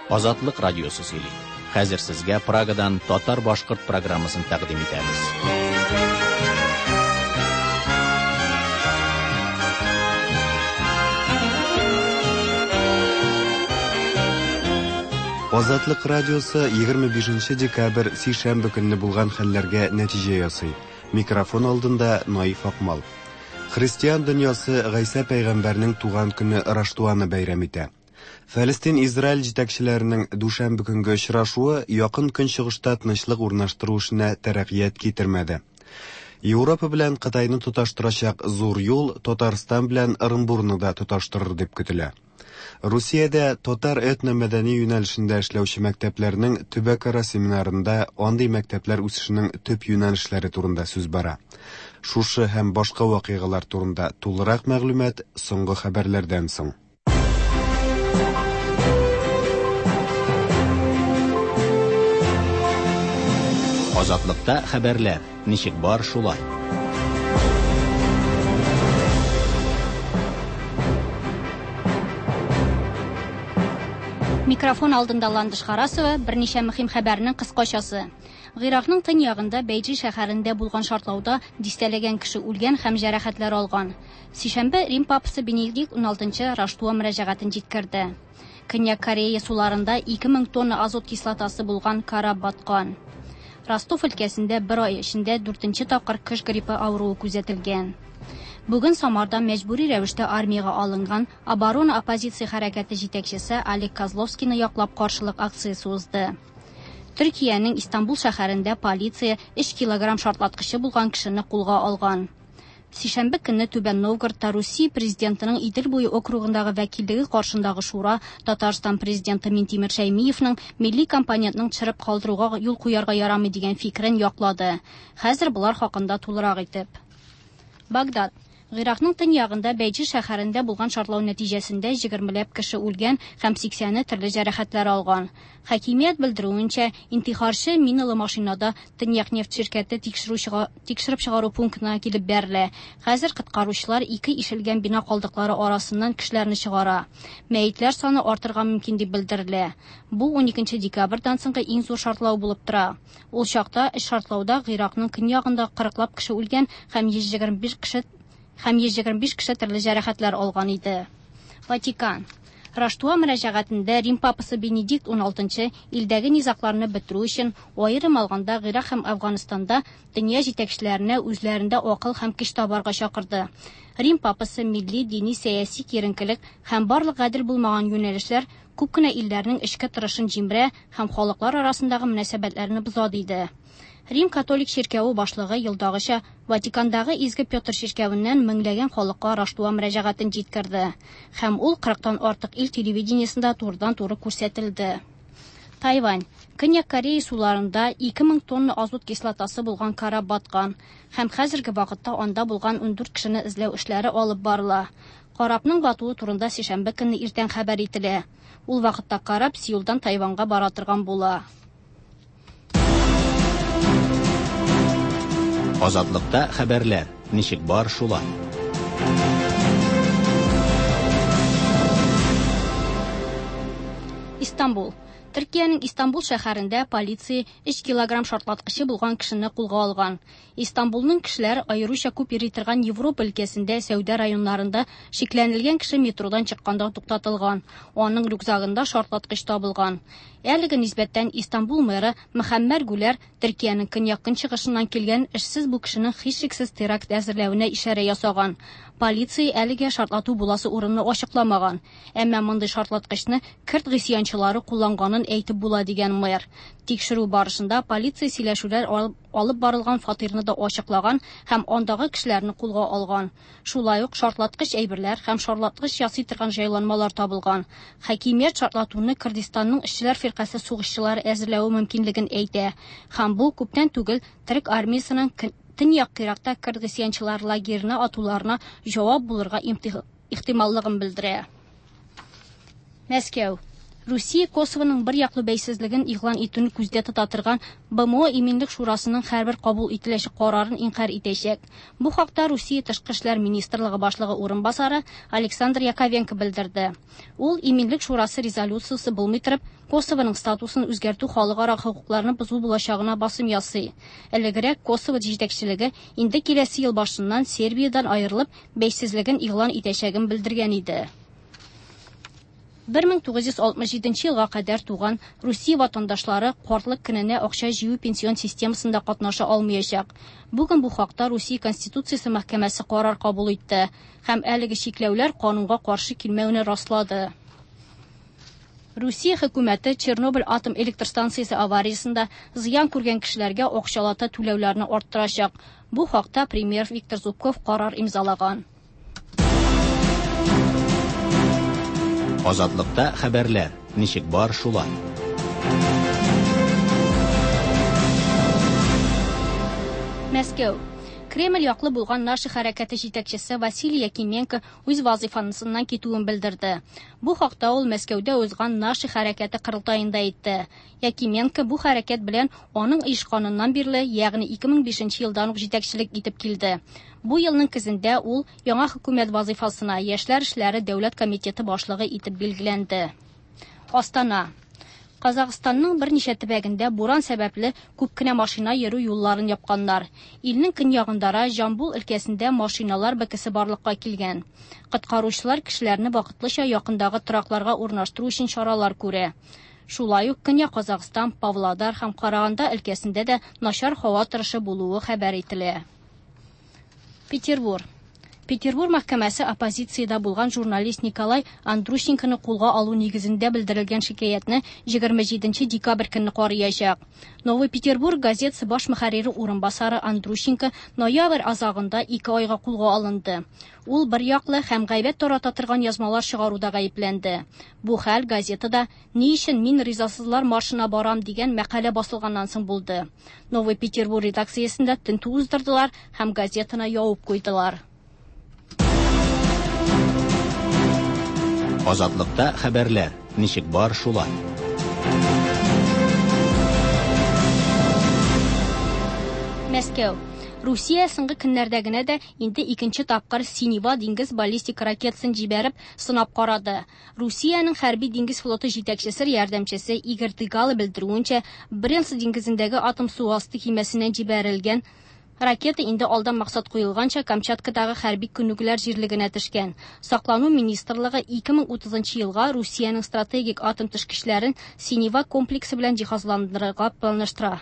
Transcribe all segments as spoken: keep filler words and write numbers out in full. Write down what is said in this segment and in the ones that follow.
Азатлык радиосы сөйли. Хәзер сезгә Прагадан татар-башкорт программасын тәкъдим итәбез. Азатлык радиосы егерме бишенче декабрь сишәмбе көнне булган хәлләргә нәтиҗә ясый. Микрофон алдында Наиф Акмал. Христиан дөньясы Гайсә пәйгамбәрнең туган көне Раштуаны бәйрәм итә. Фәлестин-Израиль җитәкчеләренең дүшәмбе көнге очрашуы якын көнчыгышта тынычлык урнаштыру эшенә тәрәккыят китермәде. Европа белән Кытайны тоташтырачак зур юл Татарстан белән Ырынбурны да тоташтырыр дип көтелә. Русиядә татар этно-мәдәни юнәлешендә эшләүче мәктәпләрнең төбәкара семинарында андый мәктәпләр үсешенең төп юнәлешләре турында сүз бара. Шушы һәм башка вакыйгалар турында тулырак мәгълүмат соңгы хәбәрләрдән соң. Азатлыкта хәбәрләр ничек бар шулай. Микрофон алдында Ландыш Харасова, берничә мөһим хәбәрнең кыскачасы. Гыйракның төньягында Бәйҗи шәһәрендә булган шартлауда дистәләгән кеше үлгән һәм җәрәхәтләр алган. Сишәмбе Рим папасы Бенедикт уналтынчы Раштуа мөрәҗәгатен җиткерде. Көньяк Корея суларында ике мең тонна азот кислотасы булган кораб баткан. Ростов өлкәсендә бер ай эчендә дүртенче тапкыр кыш гриппы авыруы күзәтелгән. Бүген Самарда мәҗбүри рәвештә армиягә алынган оборона оппозиция хәрәкәте җитәкчесе Олег Козловскийны яклап каршылык акциясе узды. Төркиянең Истанбул шәһәрендә полиция өч килограмм шартлаткычы булган кешене кулга алган. Сишәмбе көнне Түбән Новгородта Русия президентының Идел буе округындагы вәкиллеге каршындагы шура Татарстан президенты Минтимер Шәймиевның милли компонентның төшереп калдыруга юл куярга ярамый дигән фикерен яклады. Хәзер болар хакында тулырак итеп. Багдад. Гыйракның төньягында Бәйҗи шәһәрендә булган шартлау нәтиҗәсендә егермеләп кеше үлгән һәм сиксәне төрле җәрәхәтләр алган. Хакимият белдерүенчә, интихарчы миналы машинада Төньяк нефть ширкәте тикшерү чыга-, тикшереп чыгару пунктына килеп бәрелә. Хәзер коткаручылар ике ишелгән бина калдыклары арасыннан кешеләрне чыгара. Мәетләр саны артырга мөмкин дип белдерелә. Бу уникенче декабрьдән соңгы иң зур шартлау булып тора. Ул чакта өч шартлауда Гыйракның көньягында кырыклап кеше үлгән һәм йөз егерме биш кеше һәм йөз егерме биш кеше төрле җәрәхәтләр алган иде. Ватикан. Раштуа мөрәҗәгатендә Рим папасы Бенедикт уналтынчы илдәге низагларны бетерү өчен аерым алганда Гыйрак һәм Афганстанда дөнья җитәкчеләренә үзләрендә акыл һәм көч табарга чакырды. Рим папасы милли, дини, сәяси киеренкелек һәм барлык гадел булмаган юнәлешләр күп кенә илләрнең эчке торышын җимерә һәм халыклар арасындагы мөнәсәбәтләрне боза диде. Рим католик чиркәве башлыгы елдагыча Ватикандагы Изге Петр чиркәвеннән меңләгән халыкка Раштуа мөрәҗәгатен җиткерде. Һәм ул кырыктан артык ил телевидениесендә турыдан-туры күрсәтелде. Тайвань. Көньяк Корея суларында ике мең тонна азот кислотасы булган кораб баткан һәм хәзерге вакытта анда булган ундүрт кешене эзләү эшләре алып барыла. Корабның батуы турында сишәмбе көнне иртән хәбәр ителә. Ул вакытта кораб Сеулдан Тайваньга бара торган була. Азатлыкта хәбәрләр ничек бар шулай. Истанбул. Төркиянең Истанбул шәһәрендә полиция өч килограмм шартлаткычы булган кешене кулга алган. Истанбулның кешеләр аеруча күп йөри торган Европа өлкәсендә сәүдә районнарында шикләнелгән кеше метродан чыкканда туктатылган. Аның рюкзагында шартлаткыч табылган. Әлеге нисбәттән Истанбул мэры Мөхәммәр Гүләр Төркиянең көньяк-көнчыгышыннан килгән эшсез бу кешенең һичшиксез теракт әзерләвенә ишарә ясаган. Полиция әлегә шартлату буласы урынны ачыкламаган. Әмма мондый шартлаткычны кырд гыйсьянчылары кулланганын әйтеп була дигән мэр. Тикшерү барышында полиция сөйләшүләр алып, алып барылган фатирны да ачыклаган һәм андагы кешеләрне кулга алган. Шулай ук шартлаткыч әйберләр һәм шартлаткыч ясый торган җайланмалар табылган. Хакимият шартлатуны Кыргызстанның эшчеләр фиркасе сугышчылары әзерләве мөмкинлеген әйтә. Һәм бу күптән түгел Төрек армиясенең көн-, Төньяк Иракта кырд гыйсьянчылар лагерына атуларына җавап булырга имтих-, ихтималлыгын белдерә. Мәскәү. Русия Косованың бер яклы бәйсезлеген игълан итүне күздә тота торган Б М О Иминлек Шурасының һәрбер кабул ителәчәк карарын инкарь итәчәк. Бу хакта Русия Тышкы эшләр министрлыгы башлыгы урынбасары Александр Яковенко белдерде. Ул Иминлек Шурасы резолюциясе булмый торып, Косованың статусын үзгәртү халыкара хокукларны бозу булачагына басым ясый. Элегрәк Косово җитәкчелеге инде киләсе ел башыннан Сербиядән аерылып, бәйсезлеген игълан итәчәген белдергән иде. бер мең тугыз йөз алтмыш җиденче елга кадәр туган Русия ватандашлары картлык көненә акча җыю пенсион системасында катнаша алмаячак. Бүген бу хакта Русия Конституциясе мәхкәмәсе карар кабул итте һәм әлеге чикләүләр канунга каршы килмәүне раслады. Русия хөкүмәте Чернобыль атом электр станциясе авариясендә зыян күргән кешеләргә акчалата түләүләрне арттырачак. Бу хакта премьер Виктор Зубков карар имзалаган. Азатлыкта хәбәрләр ничек бар шулай. Мәскәү. Кремль яклы булган «Наши» хәрәкәте җитәкчесе Василий Якименко үз вазифасыннан китүен белдерде. Бу хакта ул Мәскәүдә узган «Наши» хәрәкәте корылтаенда әйтте. Якименко бу хәрәкәт белән аның оешканыннан бирле, ягъни ике мең бишенче елдан ук җитәкчелек итеп килде. Бу елның көзендә ул яңа хөкүмәт вазифасына Яшьләр эшләре дәүләт комитеты башлыгы итеп билгеләнде. Астана. Казахстанның берничә төбәгендә буран сәбәпле күп кенә машина йөрү юлларын япканнар. Илнең көньягындара Жамбул өлкәсендә машиналар бөкесе барлыкка килгән. Коткаручылар кешеләрне вакытлыча якындагы торакларга урнаштыру өчен чаралар күрә. Шулай ук Көньяк Казахстан, Павлодар һәм Караганда өлкәсендә дә начар һава торышы булуы хәбәр ителә. Петербург. Петербург мәхкәмәсе оппозициядә булган журналист Николай Андрущенконы кулга алу нигезендә белдерелгән шикаятьне егерме җиденче декабрь көнне караячак. «Новый Петербург» газетасы баш мөхәррире урынбасары Андрущенко ноябрь азагында ике айга кулга алынды. Ул бер яклы һәм гайбәт тарата торган язмалар чыгаруда гаепләнде. Бу хәл газетада «Ни өчен мин ризасызлар маршына барам» дигән мәкалә басылганнан соң булды. «Новый Петербург» редакциясендә тентү уздырдылар һәм газетаны ябып куйдылар. Азатлыкта хәбәрләр ничек бар шулай. Мәскәү. Русия соңгы көннәрдә генә дә инде икенче тапкыр Синева диңгез баллистик ракетасын җибәреп сынап карады. Русиянең хәрби диңгез флоты җитәкчесе ярдәмчесе Игорь Дыгало белдерүенчә, Баренц диңгезендәге атом су асты көймәсеннән җибәрелгән ракета инде алдан максат куелганча Камчаткадагы хәрби күнегүләр җирлегенә төшкән. Саклану министрлыгы ике мең утызынчы елга Русиянең стратегик атом төшкечләрен Синева комплексы белән җиһазландырырга планлаштыра.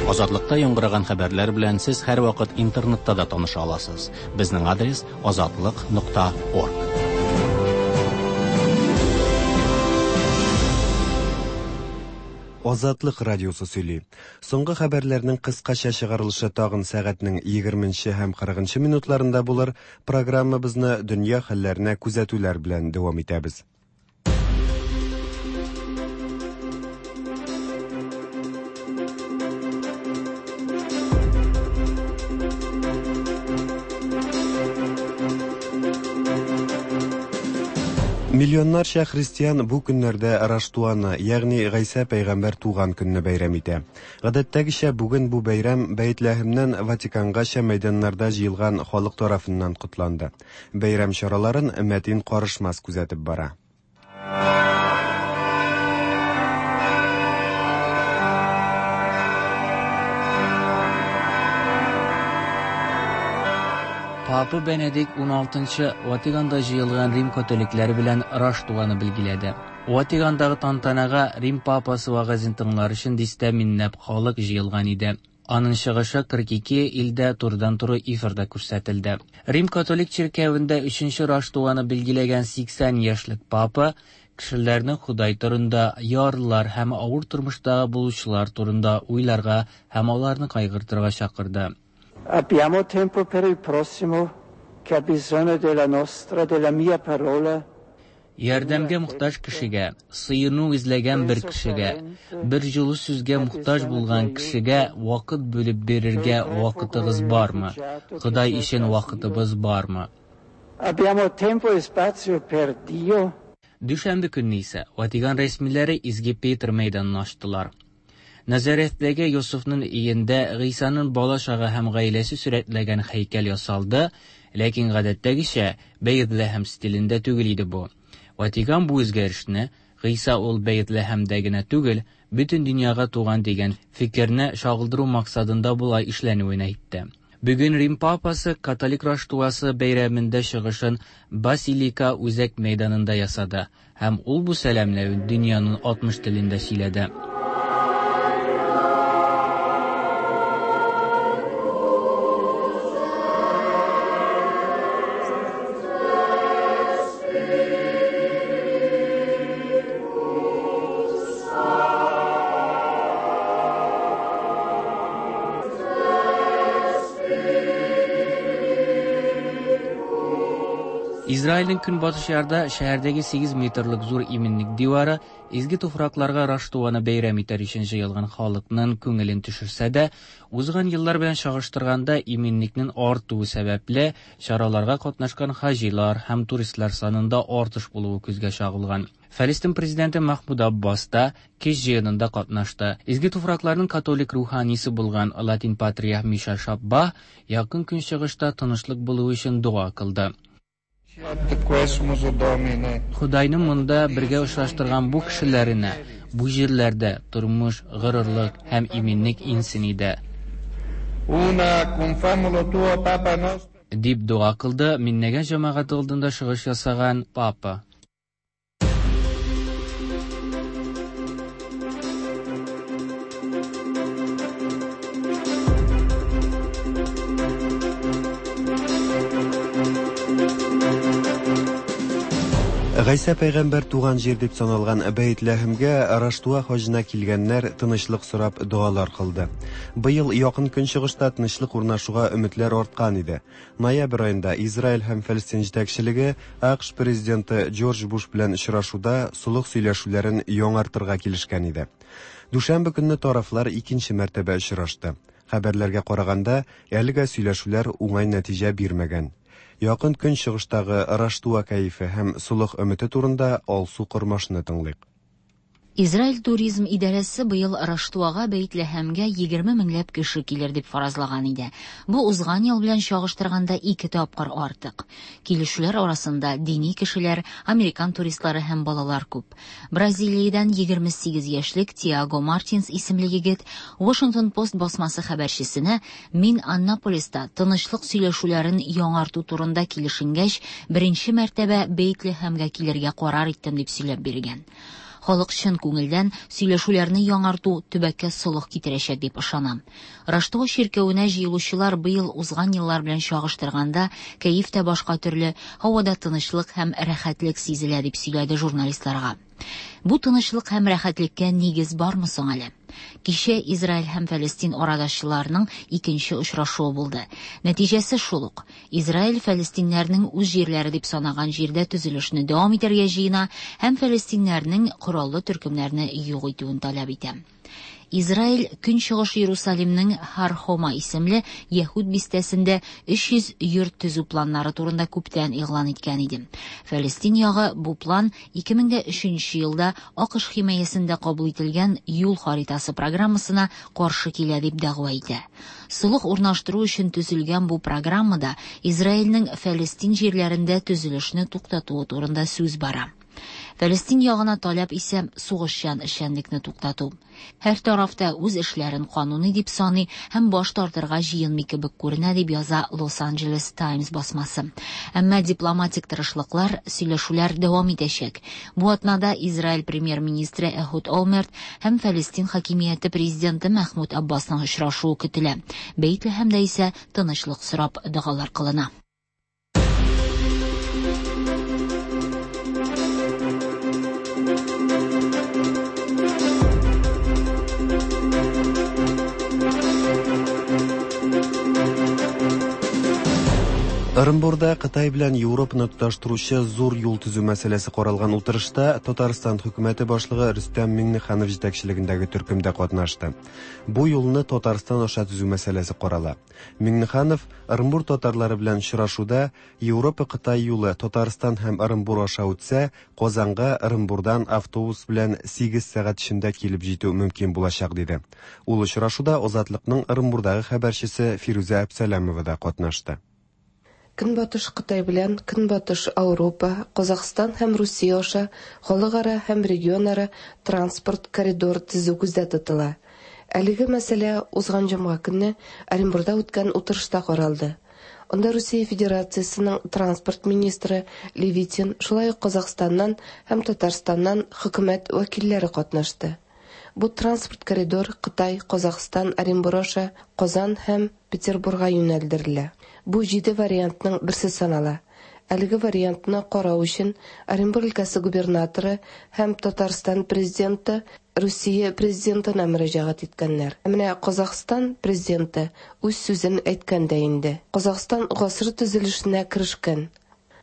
Азатлыкта яңгыраган хәбәрләр белән сез һәрвакыт интернетта да таныша аласыз. Безнең адрес азатлык нокта орг. Азатлык радиосы сөйли. Соңгы хәбәрләрнең кыскача чыгарылышы тагын сәгатьнең егерменче һәм кырыгынчы минутларында булыр. Программабызны дөнья хәлләренә күзәтүләр белән дәвам итәбез. Миллионнарча христиан бу көннәрдә Раштуаны, ягъни Гайсә пәйгамбәр туган көнне бәйрәм итә. Гадәттәгечә бүген бу бәйрәм Бәйтләһемнән Ватикангача мәйданнарда җыелган халык тарафыннан котланды. Бәйрәм чараларын Мәтин Карышмас күзәтеп бара. Папа Бенедикт уналтынчы Ватиканда җыелган Рим католиклары белән Раштуаны билгеләде. Ватикандагы тантанага Рим папасы вәгазен тыңлар өчен дистә меңләп халык җыелган иде. Аның чыгышы кырык ике илдә турыдан-туры эфирда күрсәтелде. Рим католик чиркәвендә өченче Раштуаны билгеләгән сиксән яшьлек папа кешеләрне Ходай турында, ярлылар һәм авыр тормышта булучылар турында уйларга һәм аларны кайгыртырга чакырды. Abbiamo tempo per il prossimo che ha bisogno della nostra, della mia parola. Ярдәмгә мохтаҗ кешегә, сыену эзләгән бер кешегә, бер җылы сүзгә мохтаҗ булган кешегә вакыт бүлеп бирергә вакытыгыз бармы? Ходай өчен вакытыбыз бармы? Abbiamo tempo e spazio per Dio? Дүшәмбе көнне исә Ватикан рәсмиләре Изге Петр мәйданын ачтылар. Назареттәге Йосыфның өендә Гыйсаның бала чагы һәм гаиләсе сурәтләгән һәйкәл ясалды, ләкин гадәттәгечә Бәйтләһем стилендә түгел иде бу. Ватикан бу үзгәрешне Гыйса ул Бәйтләһемдә генә түгел, бөтен дөньяга туган дигән фикерне чагылдыру максатында болай эшләнүен әйтте. Бүген Рим папасы католик Раштуасы бәйрәмендә чыгышын Басилика үзәк мәйданында ясады һәм ул бу сәламләвен дөньяның алтмыш телендә сөйләде. Израильнең көнбатыш ярда шәһәрдәге сигез метрлык зур иминлек дивары изге туфракларга Раштуаны бәйрәм итәр өчен җыелган халыкның күңелен төшерсә дә, узган еллар белән чагыштырганда иминлекнең артуы сәбәпле чараларга катнашкан хаҗилар һәм туристлар санында артыш булуы күзгә чагылган. Фәлестин президенты Махмуд Аббас та кеш җыенында катнашты. Изге туфракларның католик руханисы булган латин патриарх Миша Шабба якын көнчыгышта тынычлык булуы өчен дога кылды. Худайның монда бергә очраштырган бу кешеләренә, бу җирләрдә тормыш, горурлык һәм иминлек инсен иде. Дип дога кылды миннәгән җәмәгать алдында чыгыш ясаган папа. Гайсә пәйгамбәр туган җир дип саналган Бәйтләһемгә Раштуа хаҗына килгәннәр тынычлык сорап догалар кылды. Быел якын көнчыгышта тынычлык урнашуга өметләр арткан иде. Ноябрь аенда Израиль һәм Фәлестин җитәкчелеге АКШ президенты Джордж Буш белән очрашуда солых сөйләшүләрен яңартырга килешкән иде. Дүшәмбе көнне тарафлар икенче мәртәбә очрашты. Хәбәрләргә караганда, әлегә сөйләшүләр уңай нәтиҗә бирмәгән. Якын көнчыгыштагы Раштуа кәефе һәм солых өмете турында Алсу Кормашны тыңлыйк. Израиль туризм идарәсе быел Раштуага Бәйтләһемгә егерме меңләп кеше килер дип фаразлаган иде. Бу узган ел белән чагыштырганда ике тапкыр артык. Килүчеләр арасында дини кешеләр, американ туристлары һәм балалар күп. Бразилиядән егерме сигез яшьлек Тиаго Мартинс исемле егет Washington Post басмасы хәбәрчесенә «Мин Аннаполиста тынычлык сөйләшүләрен яңарту турында килешенгәч, беренче мәртәбә Бәйтләһемгә килергә карар иттем» дип сөйләп биргән. Халык чын күңелдән сөйләшүләрне яңарту төбәккә солых китерәчәк дип ышанам. Раштуа чиркәвенә җыелучылар быел узган еллар белән чагыштырганда кәеф тә башка төрле, һавада тынычлык һәм рәхәтлек сизелә дип сөйләде журналистларга. Бу тынычлык һәм рәхәтлеккә нигез бармы соң әле? Кичә Израиль һәм Фәлестин арадашчыларының икенче очрашуы булды. Нәтиҗәсе шул ук. Израиль фәлестиннәрнең үз җирләре дип санаган җирдә төзелешне дәвам итәргә җыена һәм фәлестиннәрнең кораллы төркемнәрне юк итүен таләп итә. Израиль Көнчыгыш Иерусалимның Хар-Хома исемле Яһүд бистәсендә өч йөз йорт төзү планнары турында күптән игълан иткән иде. Фәлестин ягы бу план ике мең дә өченче елда АКШ химаясында кабул ителгән юл харитасы программасына каршы килә дип дәгъва итә. Солых урнаштыру өчен төзелгән бу программада Израильнең Фәлестин җирләрендә төзелешне туктатуы турында сүз бара. Фәлестин ягына таләп исә сугышчан эшчәнлекне туктату. Һәр тарафта үз эшләрен кануни дип саный һәм баш тартырга җыенмый кебек күренә дип яза Лос-Анджелес Таймс басмасы. Әмма дипломатик тырышлыклар, сөйләшүләр дәвам итәчәк. Бу атнада Израиль премьер-министры Эхуд Олмерт һәм Фәлестин хакимияте президенты Мәхмүд Аббасның очрашуы көтелә. Бәйтләһемдә исә тынычлык сорап догалар кылына. Ырынбурда Кытай белән Европаны тоташтыручы зур юл төзү мәсьәләсе каралган утырышта Татарстан хөкүмәте башлыгы Рөстәм Миңнеханов җитәкчелегендәге төркемдә катнашты. Бу юлны Татарстан аша төзү мәсьәләсе карала. Миңнеханов Ырынбур татарлары белән очрашуда Европа-Кытай юлы Татарстан һәм Ырынбур аша үтсә, Казанга Ырынбурдан автобус белән сигез сәгать эчендә килеп җитү мөмкин булачак диде. Ул очрашуда Азатлыкның Ырынбурдагы хәбәрчесе Фирүзә Әпсәләмова да катнашты. Көнбатыш Кытай белән Көнбатыш Ауропа, Казахстан һәм Русия аша халыкара һәм регионара транспорт коридор төзү күздә тотыла. Әлеге мәсьәлә узган җомга көнне Оренбурда үткән утырышта каралды. Анда Русия Федерациясенең транспорт министры Левитин, шулай ук Казахстаннан һәм Татарстаннан хөкүмәт вәкилләре катнашты. Бу транспорт коридор Кытай, Казахстан, Оренбур аша Казан һәм Петербурга юнәлдерелә. Бу җиде вариантның берсе санала. Әлеге вариантны карау өчен Оренбур өлкәсе губернаторы һәм Татарстан президенты Русия президентына мөрәҗәгать иткәннәр. Менә Казахстан президенты үз сүзен әйткән дә инде. Казахстан гасыр төзелешенә керешкән.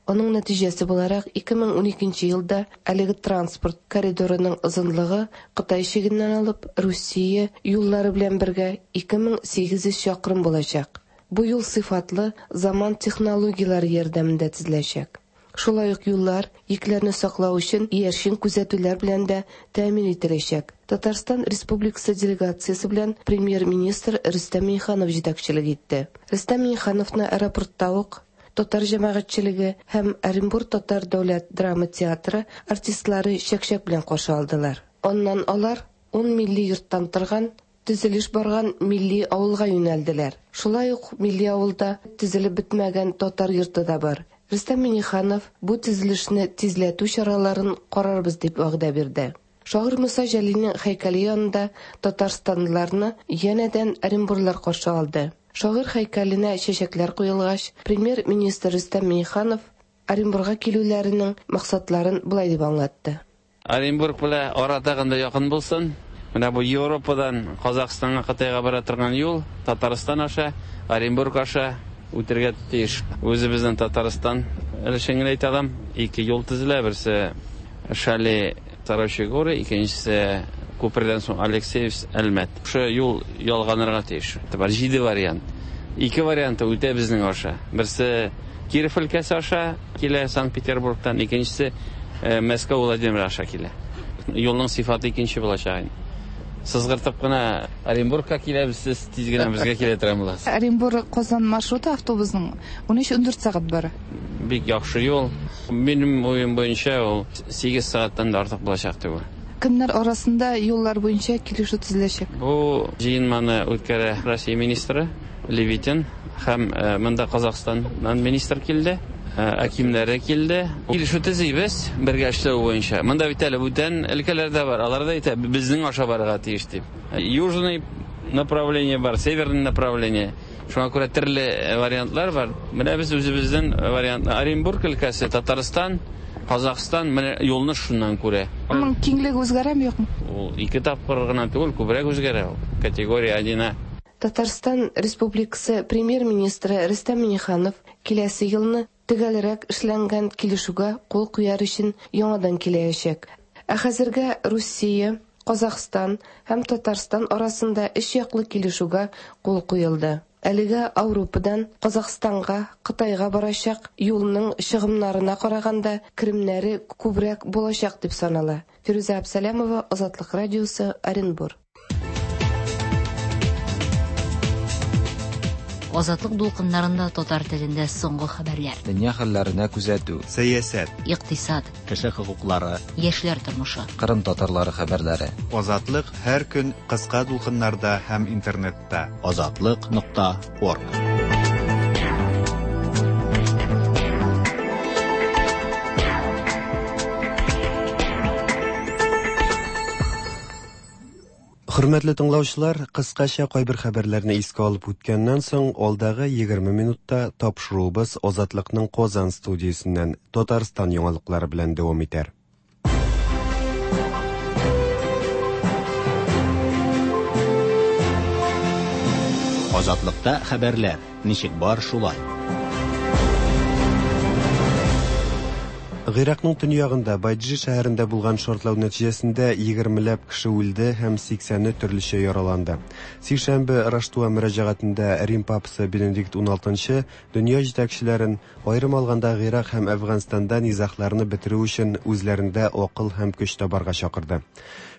Аның нәтиҗәсе буларак ике мең уникенче елда әлеге транспорт коридорының озынлыгы Кытай чигеннән алып Русия юллары белән бергә ике мең сигез йөз чакрым булачак. Бу юл сыйфатлы заман технологияләре ярдәмендә төзеләчәк. Шулай ук юллар йөкләрне саклау өчен иярчен күзәтүләр белән дә тәэмин ителәчәк. Татарстан Республикасы делегациясе белән премьер-министр Рөстәм Миңнеханов җитәкчелек итте. Рөстәм Миңнехановны аэропортта ук татар җәмәгатьчелеге һәм Оренбур татар дәүләт драма театры артистлары чәкчәк белән каршы алдылар. Аннан алар ун милли йорттан торган төзелеш барган милли авылга юнәлделәр. Шулай ук милли авылда төзелеп бетмәгән татар йорты да бар. Рөстәм Миңнеханов бу төзелешне тизләтү чараларын карарбыз дип вәгъдә бирде. Шагыйрь Муса Җәлилнең һәйкәле янында татарстанлыларны янәдән Оренбурлар каршы алды. Шагыйрь һәйкәленә чәчәкләр куелгач, премьер-министр Рөстәм Миңнеханов Оренбурга килүләренең максатларын болай дип аңлатты. Оренбург белән ара тагын да якын булсын. Менә бу Европадан Казахстанга, Кытайга бара торган юл Татарстан аша, Оренбург аша үтергә тиеш. Үзебезнең Татарстан өлешен генә әйтә алам. Ике юл төзелә, берсе Шали Сарочи горы, икенчесе күпердән соң Алексеевск Әлмәт. Шушы юл ялганырга тиеш. Бар җиде вариант. Ике варианты үтә безнең аша. Берсе Киров өлкәсе аша килә Санкт-Петербургтан, икенчесе Мәскәү Владимир аша килә. Юлның сыйфаты икенче булачак инде. Сызгыртып кына Оренбургка киләбез, сез тиз генә безгә килә торган буласыз. Оренбур Казан маршруты автобусның ун өч ун дүрт сәгать бара. Бик яхшы юл. Минем уем буенча ул сигез сәгатьтән дә артык булачак дип уйлыйм. Кемнәр арасында юллар буенча килешү төзеләчәк? Бу җыенманы үткәрә Россия министры Левитин һәм монда Казахстаннан министр килде, әкимнәре килде. Килешү төзибез бергә эшләү буенча. Монда бит әле бүтән өлкәләр дә бар, алар да әйтә, безнең аша барырга тиеш дип. Южный направление бар, северный направление. Шуңа күрә төрле вариантлар бар. Менә без үзебезнең вариантны Оренбург өлкәсе, Татарстан, Казахстан менә юлны шуннан күрә. Аның киңлеге үзгәрәме, юкмы? Ул ике тапкыр гына түгел, күбрәк үзгәрә ул. Категория один. Татарстан Республикасы премьер-министры Рөстәм Миңнеханов киләсе елны төгәлрәк эшләнгән килешүгә кул куяр өчен яңадан киләчәк. Ә хәзергә Русия, Казахстан һәм Татарстан арасында өч яклы килешүгә кул куелды. Әлегә Ауропадан Казахстанга, Кытайга барачак юлның чыгымнарына караганда керемнәре күбрәк булачак дип санала. Фирүзә Әпсәләмова, Азатлык радиосы, Оренбур. Азатлык дулкыннарында татар телендә соңгы хәбәрләр. Дөнья хәлләренә күзәтү, сәясәт, икътисад, кеше хокуклары, яшьләр тормышы, Кырым татарлары хәбәрләре. Азатлык һәр көн кыска дулкыннарда һәм интернетта. Азатлык нокта орг. Хөрмәтле тыңлаучылар, кыскача кайбер хәбәрләрне искә алып үткәннән соң, алдагы егерме минутта тапшыруыбыз Азатлыкның Казан студиясеннән Татарстан яңалыклары белән дәвам итәр. Азатлыкта хәбәрләр ничек бар шулай. Гыйракның төньягында Байджи шәһәрендә булган шартлау нәтиҗәсендә егермеләп кеше үлде һәм сиксәне төрлечә яраланды. Сишәмбе Раштуа мөрәҗәгатендә Рим папасы Бенедикт уналтынчы дөнья җитәкчеләрен, аерым алганда Гыйрак һәм Әфганстанда низагларны бетерү өчен үзләрендә акыл һәм көч табарга чакырды.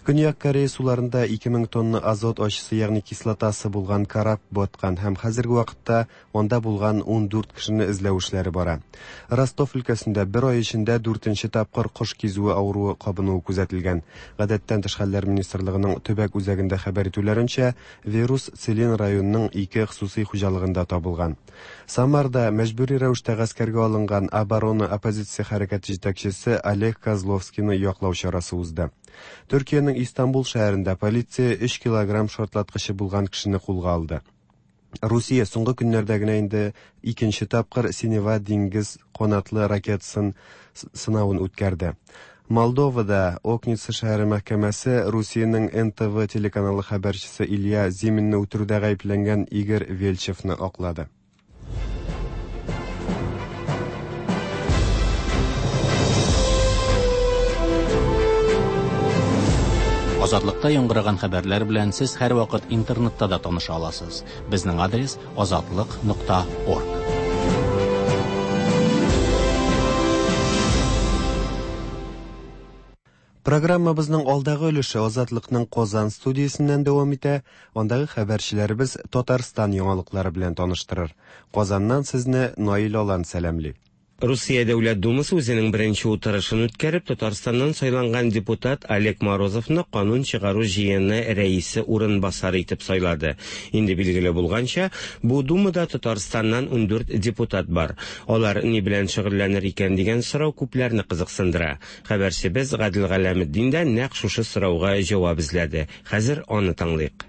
Көньяк Корея суларында ике мең тонна азот ачысы, ягъни кислотасы булган кораб баткан һәм хәзерге вакытта анда булган ун дүрт кешене эзләү эшләре бара. Ростов өлкәсендә бер ай эчендә дүртенче тапкыр кош кизүе авыруы кабынуы күзәтелгән. Гадәттән тыш хәлләр министрлыгының төбәк үзәгендә хәбәр итүләренчә, вирус Целин районының ике хосусый хуҗалыгында табылган. Самарда мәҗбүри рәвештә гаскәргә алынган оборона оппозиция хәрәкәте җитәкчесе Олег Козловскийны яклау чарасы узды. Төркиянең Истанбул шәһәрендә полиция өч килограмм шартлаткычы булган кешене кулга алды. Русия соңгы көннәрдә генә инде икенче тапкыр Синева диңгез канатлы ракетасын сынавын үткәрде. Молдовада Окница шәһәре мәхкәмәсе Русиянең Н Т В телеканалы хәбәрчесе Илья Зиминны үтерүдә гаепләнгән Игорь Вельчевны аклады. Азатлыкта яңгыраган хәбәрләр белән сез һәрвакыт интернетта да таныша аласыз. Безнең адрес азатлык нокта орг. Программабызның алдагы өлеше Азатлыкның Казан студиясеннән дәвам итә. Андагы хәбәрчеләребез Татарстан яңалыклары белән таныштырыр. Казаннан сезне Наил Алан сәламли. Русия Дәүләт Думасы үзенең беренче утырышын үткәреп, Татарстаннан сайланган депутат Олег Морозовны канун чыгару җыены рәисе урынбасары итеп сайлады. Инде билгеле булганча, бу Думада Татарстаннан ун дүрт депутат бар. Алар ни белән шөгыльләнер икән дигән сорау күпләрне кызыксындыра. Хәбәрчебез Гадел Галәметдин дә нәкъ шушы сорауга җавап эзләде. Хәзер аны тыңлыйк.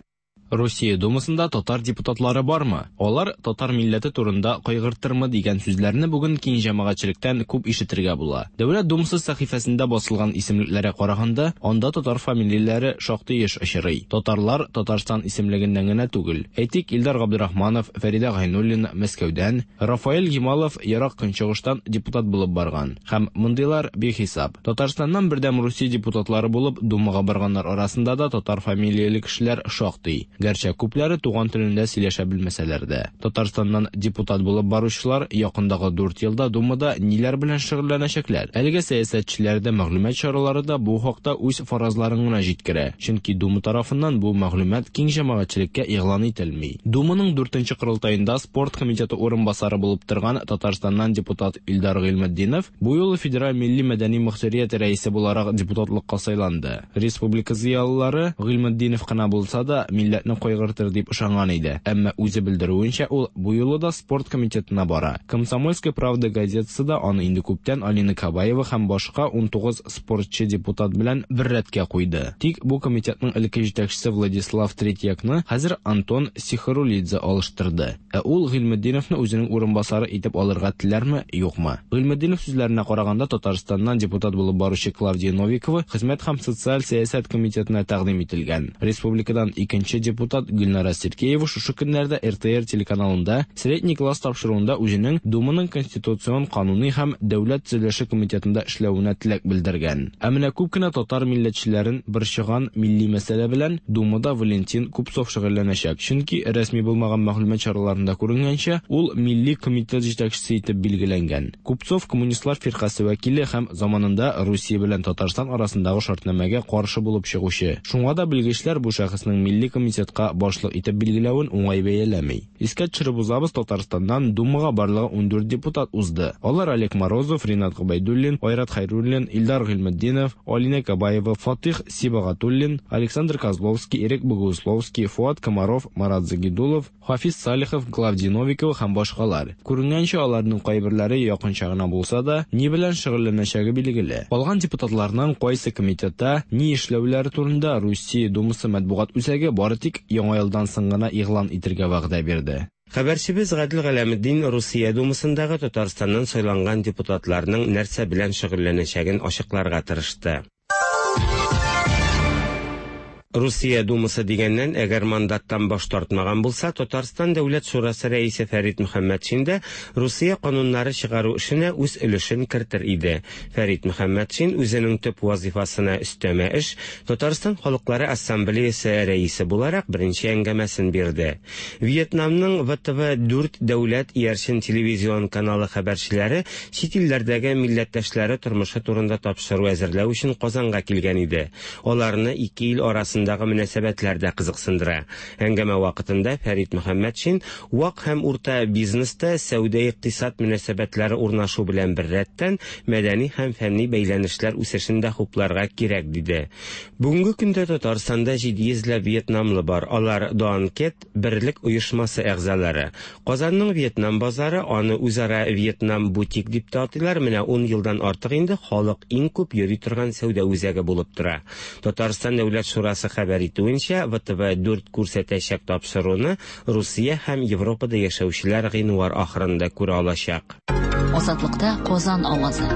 Русия Думасында татар депутатлары бармы? Алар татар милләте турында кайгыртырмы дигән сүзләрне бүген киң җәмәгатьчелектән күп ишетергә була. Дәүләт Думасы сәхифәсендә басылган исемлекләргә караганда, анда татар фамилияләре шактый еш очрый. Татарлар Татарстан исемлегеннән генә түгел. Әйтик, Илдар Габдрахманов, Фәридә Гайнуллина Мәскәүдән, Рафаэль Гималов Ерак Көнчыгыштан депутат булып барган. Һәм мондыйлар бихисап. Татарстаннан Бердәм Русия депутатлары булып Думага барганнар арасында да татар фамилияле кешеләр шактый. Гәрчә күпләре туган телендә сөйләшә белмәсәләр дә. Татарстаннан депутат булып баручылар якындагы дүрт елда Думада ниләр белән шөгыльләнәчәкләр? Әлеге сәясәтчеләр дә, мәгълүмат чаралары да бу хакта үз фаразларын гына җиткерә. Чөнки Дума тарафыннан бу мәгълүмат киң җәмәгатьчелеккә игълан ителми. Думаның дүртенче корылтаенда спорт комитеты урынбасары булып торган Татарстаннан депутат Илдар Гыйльметдинов бу юлы Федераль милли мәдәни мөхтәрият рәисе буларак депутатлыкка сайланды. Республика зыялылары Гыйльметдинов кына булса да милләтне кайгыртыр дип ышанган иде. Әмма үзе белдерүенчә, ул бу юлы да спорт комитетына бара. Комсомольская правда газетасы да аны инде күптән Алина Кабаева һәм башка ун тугыз спортчы депутат белән бер рәткә куйды. Тик бу комитетның элекке җитәкчесе Владислав Третьякны хәзер Антон Сихарулидзе алыштырды. Ә ул Гыйльметдиновны үзенең урынбасары итеп алырга теләрме, юкмы? Гыйльметдинов сүзләренә караганда, Татарстаннан депутат булып баручы Клавдия Новикова Хезмәт һәм социаль сәясәт комитетына тәкъдим ителгән. Республикадан икенче депутат Гөлнара Сергеева шушы көннәрдә Р Т Р телеканалында Средний класс тапшыруында үзенең Думаның конституцион, кануни һәм дәүләт төзелеше комитетында эшләвенә теләк белдергән. Ә менә күп кенә татар милләтчеләрен борчыган милли мәсьәлә белән Думада Валентин Купцов шөгыльләнәчәк. Чөнки рәсми булмаган мәгълүмат чараларында күренгәнчә, ул милли комитет җитәкчесе итеп билгеләнгән. Купцов коммунистлар фиркасе вәкиле һәм заманында Русия белән Татарстан арасындагы шартнамәгә каршы булып чыгучы. Шуңа да белгечләр бу шәхеснең милли комитетка башлык итеп билгеләвен уңай бәяләми. Искә төшереп узабыз, Татарстаннан Думага барлыгы ун дүрт депутат узды. Алар Олег Морозов, Ринат Гобәйдуллин, Айрат Хайруллин, Илдар Гыйльметдинов, Алина Кабаева, Фатих Сибагатуллин, Александр Козловский, Ирек Богусловский, Фуат Комаров, Марат Загидулов, Хафиз Салихов, Клавдия Новикова һәм башкалар. Күренгәнчә, аларның кайберләре якынча гына булса да, ни белән шөгыльләнәчәге билгеле. Калган депутатларның кайсы комитетта ни эшләүләре турында Русия Думасы матбугат үзәге бары тик яңа елдан соң гына игълан итергә вәгъдә бирде. Хәбәрчебез Гадел Галәметдин Русия Думасындагы Татарстаннан сайланган депутатларның нәрсә белән шөгыльләнәчәген ачыкларга тырышты. Русия Думасы дигәннән, әгәр мандаттан баш тартмаган булса, Татарстан Дәүләт Шурасы рәисе Фәрит Мөхәммәтшин дә Русия кануннары чыгару эшенә үз өлешен кертер иде. Фәрит Мөхәммәтшин үзенең төп вазифасына өстәмә эш Татарстан Халыклары Ассамблеясы рәисе буларак беренче әңгәмәсен бирде. Вьетнамның вэ тэ вэ дүрт дәүләт иярчен телевизион каналы хәбәрчеләре чит илләрдәге милләттәшләре тормышы турында тапшыру әзерләү өчен Казанга килгән иде. Аларны ике ил арасында мөнәсәбәтләр дә кызыксындыра. Әңгәмә вакытында Фәрит Мөхәммәтшин вак һәм урта бизнеста сәүдә-икътисад мөнәсәбәтләре урнашу белән беррәттән мәдәни һәм фәнни бәйләнешләр үсешен дә хупларга кирәк диде. Бүгенге көндә Татарстанда җиде йөзләп вьетнамлы бар. Алар Дуанкет берлек оешмасы әгъзалары. Казанның Вьетнам базары, аны үзара Вьетнам бутик дип тә атыйлар, менә ун елдан артык инде халык иң күп йөри торган сәүдә үзәге булып тора. Татарстан Дәүләт Шурасы хәбәр итүенчә, вэ тэ вэ дүрт күрсәтәчәк тапшыруны Русия һәм Европада яшәүчеләр гыйнвар ахырында күрә алачак. Азатлыкта Казан авазы.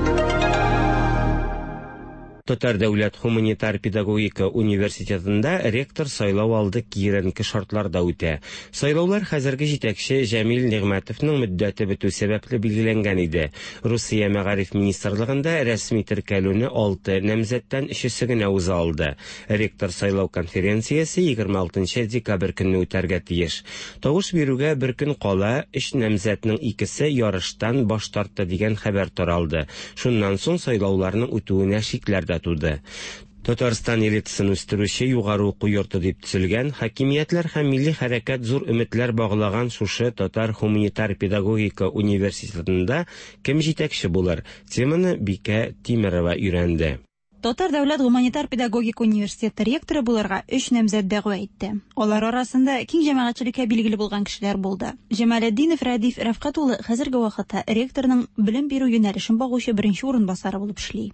Татар дәүләт гуманитар педагогика университетында ректор сайлау алды киеренке шартларда үтә. Сайлаулар хәзерге җитәкче Җәмил Нигъмәтовның мөддәте бетү сәбәпле билгеләнгән иде. Русия мәгариф министрлыгында рәсми теркәлүне алты намзәттән өчесе генә уза алды. Ректор сайлау конференциясе егерме алтынчы декабрь көнне үтәргә тиеш. Тавыш бирүгә бер көн кала өч намзәтнең икесе ярыштан баш тартты дигән хәбәр таралды. Шуннан соң сайлауларның үтүенә шикләр дә туды. Татарстан элитасын үстерүче югары уку йорты дип төзелгән, хакимиятләр һәм милли хәрәкәт зур өметләр баглаган шушы Татар гуманитар педагогика университетында кем җитәкче булыр? Теманы Бикә Тимерова өйрәнде. Татар дәүләт гуманитар педагогика университеты ректоры булырга өч намзәт дәгъва итте. Алар арасында киң җәмәгатьчелеккә билгеле булган кешеләр булды. Җамалетдинов Рәдиф Рәфкать улы хәзерге вакытта ректорның белем бирү юнәлешен багучы беренче урынбасары булып эшли.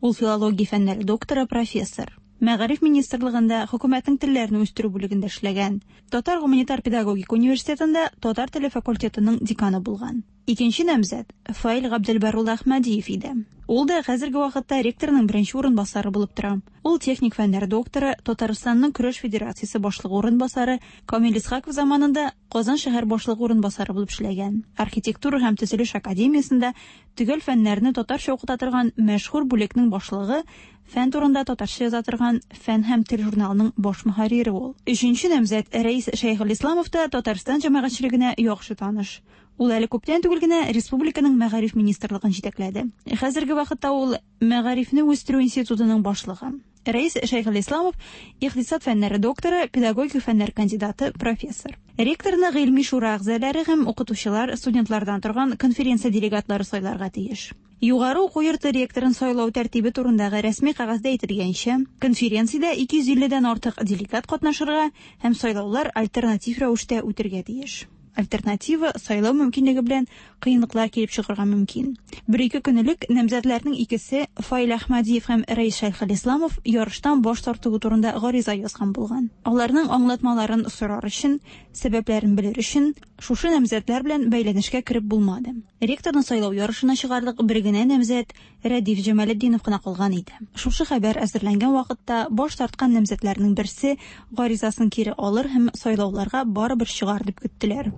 Ул филология фәннәре докторы, профессор. Мәгариф министрлыгында хөкүмәтнең телләрне үстерү бүлегендә эшләгән. Татар гуманитар педагогика университетында татар теле факультетының деканы булган. Икенче намзәт Фаил Габделбәр улы Әхмәдиев иде. Ул да хәзерге вакытта ректорның беренче урынбасары булып тора. Ул техник фәннәр докторы, Татарстанның көрәш федерациясе башлыгы урынбасары, Камил Исхаков заманында Казан шәһәр башлыгы урынбасары булып эшләгән. Архитектура һәм төзелеш академиясендә төгәл фәннәрне татарча укыта торган мәшһүр бүлекнең башлыгы, фән турында татарча яза торган Фән һәм тел журналының баш мөхәррире ул. Өченче намзәт Рәис Шәйхелисламов та Татарстан җәмәгатьчелегенә яхшы таныш. Ул әле күптән түгел генә республиканың мәгариф министрлыгын җитәкләде. Хәзерге вакытта ул Мәгарифне үстерү институтының башлыгы. Рәис Шәйхелисламов икътисад фәннәре докторы, педагогика фәннәр кандидаты, профессор. Ректорны гыйльми шура әгъзалары һәм укытучылар, студентлардан торган конференция делегатлары сайларга тиеш. Югары уку йорты ректорын сайлау тәртибе турындагы рәсми кәгазьдә әйтелгәнчә, конференциядә ике йөз илледән артык делегат катнашырга һәм сайлаулар альтернатив рәвештә үтергә тиеш. Альтернатива сайлау мөмкинлеге белән кыенлыклар килеп чыгарга мөмкин. Бер-ике көн элек намзәтләрнең икесе Фаил Әхмәдиев һәм Рәис Шәйхелисламов ярыштан баш тартуы турында гариза язган булган. Аларның аңлатмаларын сорар өчен, сәбәпләрен белер өчен шушы намзәтләр белән бәйләнешкә кереп булмады. Ректорны сайлау ярышына чыгарлык бер генә намзәт Рәдиф Җамалетдинов кына калган иде. Шушы хәбәр әзерләнгән вакытта баш тарткан намзәтләрнең берсе гаризасын кире алыр һәм сайлауларга барыбер чыгар дип көттеләр.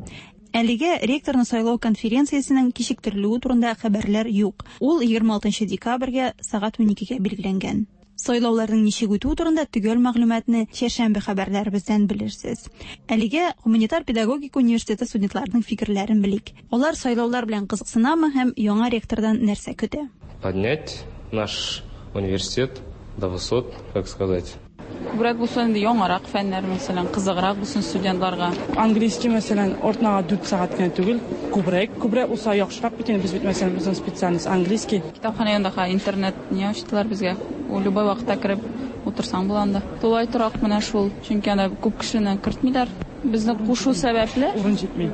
Әлегә ректорны сайлау конференциясенең кичектерелүе турында хәбәрләр юк. Ул егерме алтынчы декабрьгә сәгать уникегә билгеләнгән. Сайлауларның ничек үтүе турында төгәл мәгълүматны чәршәмбе хәбәрләребездән белерсез. Әлегә гуманитар педагогика университеты студентларының фикерләрен белик. Алар сайлаулар белән кызыксынамы һәм яңа ректордан нәрсә көтә? Поднять наш университет до высот, как сказать. Күбрәк булсын инде яңарак фәннәр, мәсәлән, кызыграк булсын студентларга. Английский, мәсәлән, ортнага дүрт сәгать кенә түгел, күбрәк, күбрәк булса яхшырак бит инде, без бит, мәсәлән, безнең специальность английский. Китапханә янында интернет не ачтылар безгә. Ул любой вакытта кереп утырсаң була анда. Тулай торак менә шул, чөнки анда күп кешене кертмиләр. Безне кушу сәбәпле урын җитми.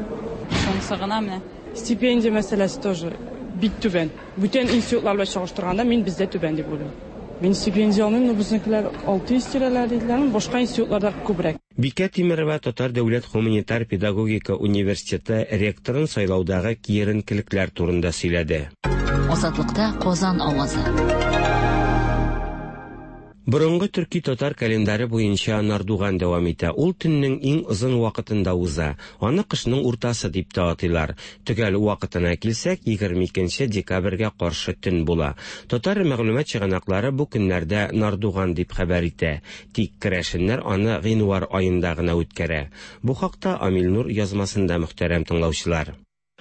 Шунысы гына менә. Стипендия мәсьәләсе тоже бик түбән. Бүтән институтлар белән чагыштырганда мин бездә түбән дип уйлыйм. Мин стипендия алмыйм, но безнекеләр алты йөз тирәләр диделәр, башка институтларда күбрәк. Бикә Тимерова Татар дәүләт гуманитар педагогика университеты ректорын сайлаудагы киеренкелекләр турында сөйләде. Азатлыкта Казан авазы. Борынгы төрки татар календаре буенча Нардуган дәвам итә. Ул төннең иң озын вакытында уза. Аны кышның уртасы дип тә атыйлар. Төгәл вакытына килсәк, егерме икенче декабрьгә каршы төн була. Татар мәгълүмат чыганаклары бу көннәрдә Нардуган дип хәбәр итә. Тик керәшеннәр аны гыйнвар аенда гына үткәрә. Бу хакта Амил Нур язмасында, мөхтәрәм тыңлаучылар.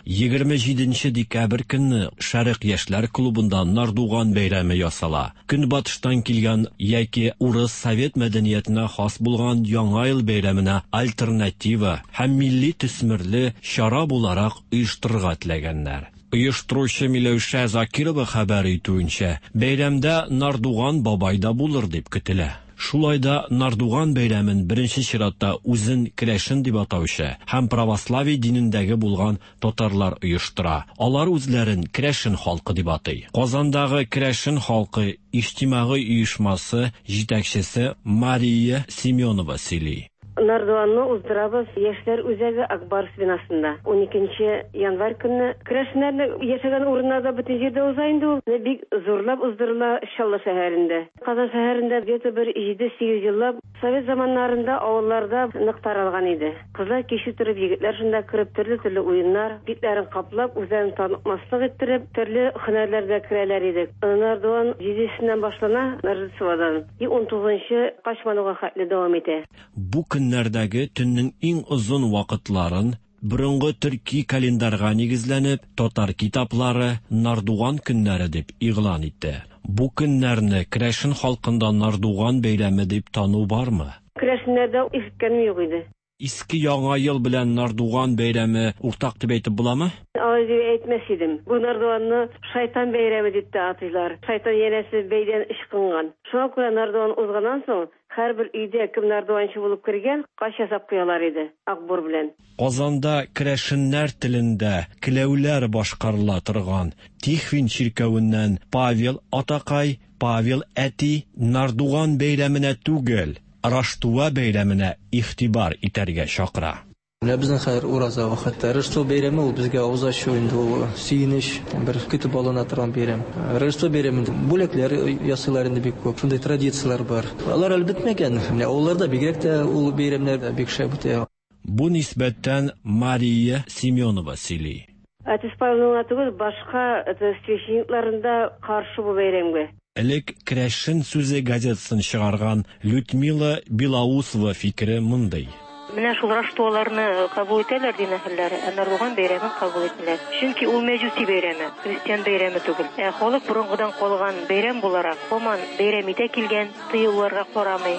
Егерме җиденче декабрь көнне Шәрык яшьләр клубында Нардуган бәйрәме ясала. Көнбатыштан килгән яки урыс совет мәдәниятенә хас булган Яңа ел бәйрәменә альтернатива һәм милли төсмерле чара буларак оештырырга теләгәннәр. Оештыручы Миләүшә Закирова хәбәр итүенчә, бәйрәмдә Нардуган бабай да булыр дип көтелә. Шулай да Нардуган бәйрәмен беренче чиратта үзен керәшен дип атаучы һәм православие динендәге булган татарлар оештыра. Алар үзләрен керәшен халкы дип атый. Казандагы керәшен халкы иҗтимагый оешмасы җитәкчесе Мария Семенова сөйли. Нардуганны уздырабыз Яшьләр үзәге Акбарс бинасында. Ун икенче январь көнне керәшеннәрнең яшәгән урыннарда бөтен җирдә уза инде ул. Бик зурлап уздырыла Чаллы шәһәрендә. Казан шәһәрендә где-то бер җиде-сигез еллап совет заманнарында авылларда нык таралган иде. Кызлар кичү торып, егетләр шунда кереп төрле-төрле уеннар, битләрен каплап, үзләрен танытмаслык иттереп, төрле һөнәрләргә керәләр иде. Нардуган җидесеннән башлана, Рождестводан, и ун тугызынчы Качмануга хәтле дәвам итә. Бу көннәрдәге төннең иң озын вакытларын борынгы төрки календарьга нигезләнеп, татар китаплары Нардуган көннәре дип игълан итте. Бу көннәрне керәшен халкында Нардуган бәйрәме дип тану бармы? Керәшеннәрдә ишеткәнем юк иде. Иске Яңа ел белән Нардуган бәйрәме уртак дип әйтеп буламы? Алай дип әйтмәс идем. Бу Нардуганны шайтан бәйрәме дип тә атыйлар. Шайтан янәсе бәйдән ычкынган. Шуңа күрә Нардуган узганнан соң һәрбер өйдә кем нардуганчы булып кергән, кач ясап куялар иде акбур белән. Казанда керәшеннәр телендә келәүләр башкарыла торган Тихвин чиркәвеннән Павел атакай, Павел әти Нардуган бәйрәменә түгел, Раштуа бәйрәменә игътибар итәргә чакыра. Менә безнең хәзер ураза вакыты. Рождество бәйрәме ул безгә авыз ачу инде, ул сөенеч, бер көтеп алына торган бәйрәм. Рождество бәйрәмендә бүләкләр ясыйлар инде бик күп. Шундый традицияләр бар. Алар әле бетмәгән. Менә авылларда бигрәк тә ул бәйрәмнәр бик шәп үтә. Бу нисбәттән Мария Семенова сөйли. Отец Павелның түгел, башка священникларында каршы бу бәйрәмгә. Элек Керәшен сүзе газетасын чыгарган Людмила Белоусова фикере мондый. Менә шул Раштуаларны кабул итәләр дин әһелләре, ә Нардуган бәйрәмен кабул итмиләр. Чөнки ул мәҗүси бәйрәме, христиан бәйрәме түгел. Ә халык борынгыдан калган бәйрәм буларак, һаман бәйрәм итә килгән, тыюларга карамый.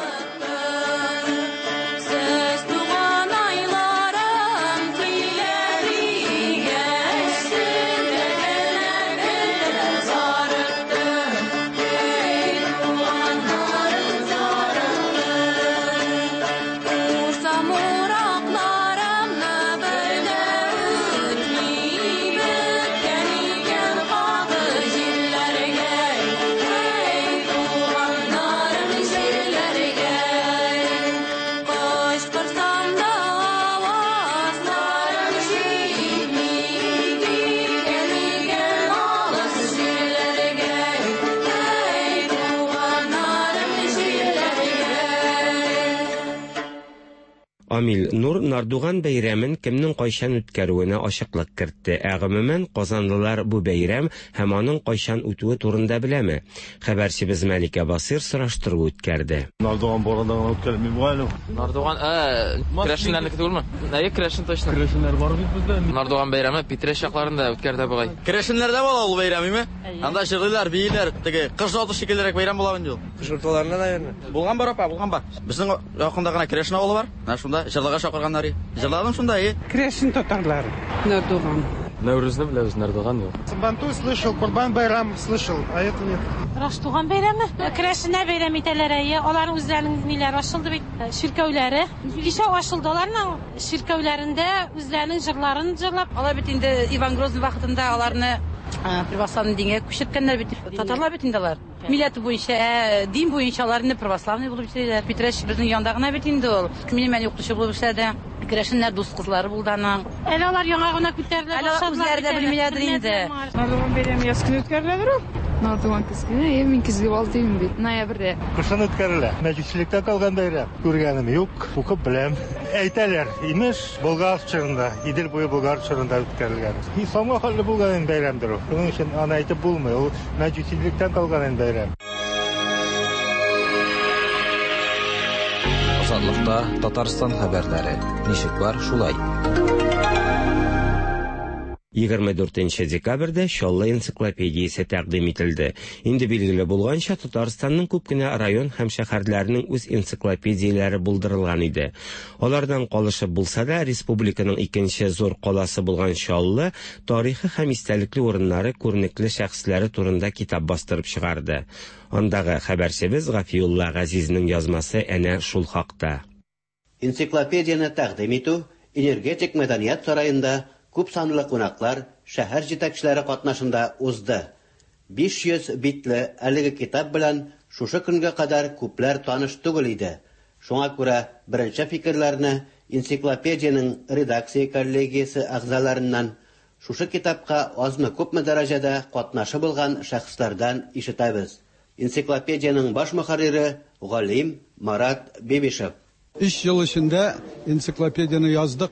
Амил Нур Нардуган бәйрәмен кемнең кайчан үткәрүенә ачыклык кертте. Ә гомумән, казанлылар бу бәйрәм һәм аның кайчан үтүе турында беләме? Хәбәрчебез Мәликә Басир сораштыру үткәрде. Нардуган барында гына үткәрелми бу әле. Нардуган, ә, керәшеннәрнеке түгелме? Әйе, керәшен точно. Керәшеннәр бар бит бездә. Нардуган бәйрәме Питрәч якларында үткәрелә бугай. Керәшеннәрдә була ул бәйрәм, име? Анда җырлыйлар, бииләр, теге кыш аты шикеллерәк бәйрәм була инде ул. Кыш урталарында, наверное. Булган бар, апа, булган бар. Безнең якында гына керәшен авылы бар. Менә шунда җырларга чакырганнар. Җырладым шунда, и. Керәшен татарлары. Нардуган. Нәүрүзне беләбез, Нардуган юк. Сабантуй слышал, Курбан байрам слышал, а это нет. Раштуган бәйрәме? Керәшеннәр бәйрәм итәләр, әйе. Аларның үзләренең ниләре ачылды бит, чиркәүләре. Кичә ачылды аларның чиркәүләрендә үзләренең җырларын җырлап. Алар бит инде Иван Грозный вакытында аларны православный дингә күчерткәннәр бит. Татарлар бит инде алар. Милләте буенча, ә, дин буенча алар инде православный булып эшлиләр. Питрәч безнең янда гына бит инде ул. Минем әни укытучы булып эшләде. Керәшеннәр дус кызлары булды аның. Әле алар яңа гына күтәрелә башладылар. Әле үзләре дә белмиләрдер инде. Нардуган бәйрәме яз көне үткәреләдер ул. Нардуган көзге. Әйе, мин көзге бал димим бит. Ноябрьдә. Кышын үткәрелә. Мәҗүсилектә калган бәйрәм. Күргәнем юк, укып беләм. Әйтәләр, имеш, Болгар чорында, Идел буе Болгар чорында үткәрелгән. Исламга хәтле булган бәйрәмдер ул. Шуның өчен аны әйтеп булмый. Ул мәҗүсилектән калган бәйрәм. Азатлыкта Татарстан хәбәрләре. Ничек бар, шулай. егерме дүртенче декабрьдә Чаллы энциклопедиясе тәкъдим ителде. Инде билгеле булганча, Татарстанның күп кенә район һәм шәһәрләренең үз энциклопедияләре булдырылган иде. Алардан калышып булса да, республиканың икенче зур каласы булган Чаллы тарихы һәм истәлекле урыннары, күренекле шәхесләре турында китап бастырып чыгарды. Андагы хәбәрчебез Гафиулла Газизнең язмасы әнә шул хакта. Энциклопедияне тәкъдим итү Энергетик мәдәният сараенда күп санлы кунаклар, шәһәр җитәкчеләре катнашында узды. биш йөз битле әлеге китап белән шушы көнгә кадәр күпләр таныш түгел иде. Шуңа күрә беренче фикерләрне энциклопедиянең редакция коллегиясе әгъзаларыннан, шушы китапка азмы-күпме дәрәҗәдә катнашы булган шәхесләрдән ишетәбез. Энциклопедиянең баш мөхәррире галим Марат Бибишев. Өч ел эчендә энциклопедияне яздык.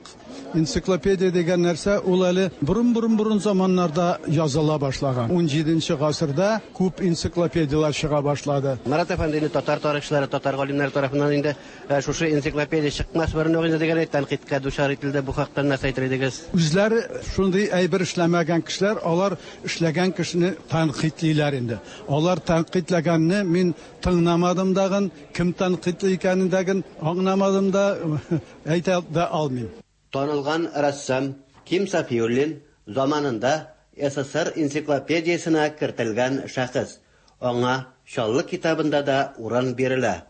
Энциклопедия дигән нәрсә ул әле борын-борын-борын заманнарда языла башлаган. Унҗиденче гасырда күп энциклопедияләр чыга башлады. Марат әфәнде, татар тарихчылары, татар галимнәре тарафыннан инде шушы энциклопедия чыкмас борын ук инде дигән тәнкыйтькә дучар ителде. Бу хакта нәрсә әйтер идегез? Үзләре шундый әйбер эшләмәгән кешеләр, алар эшләгән кешене тәнкыйтьлиләр инде. Алар тәнкыйтьләгәнне мин тыңламадым дагын, кем тәнкыйтьли икәнен дагын аңламадым да, әйтә дә алмыйм. Танылган рәссам Ким Сафиуллин заманында СССР энциклопедиясенә кертелгән шәхес. Аңа Чаллы китабында да урын бирелә.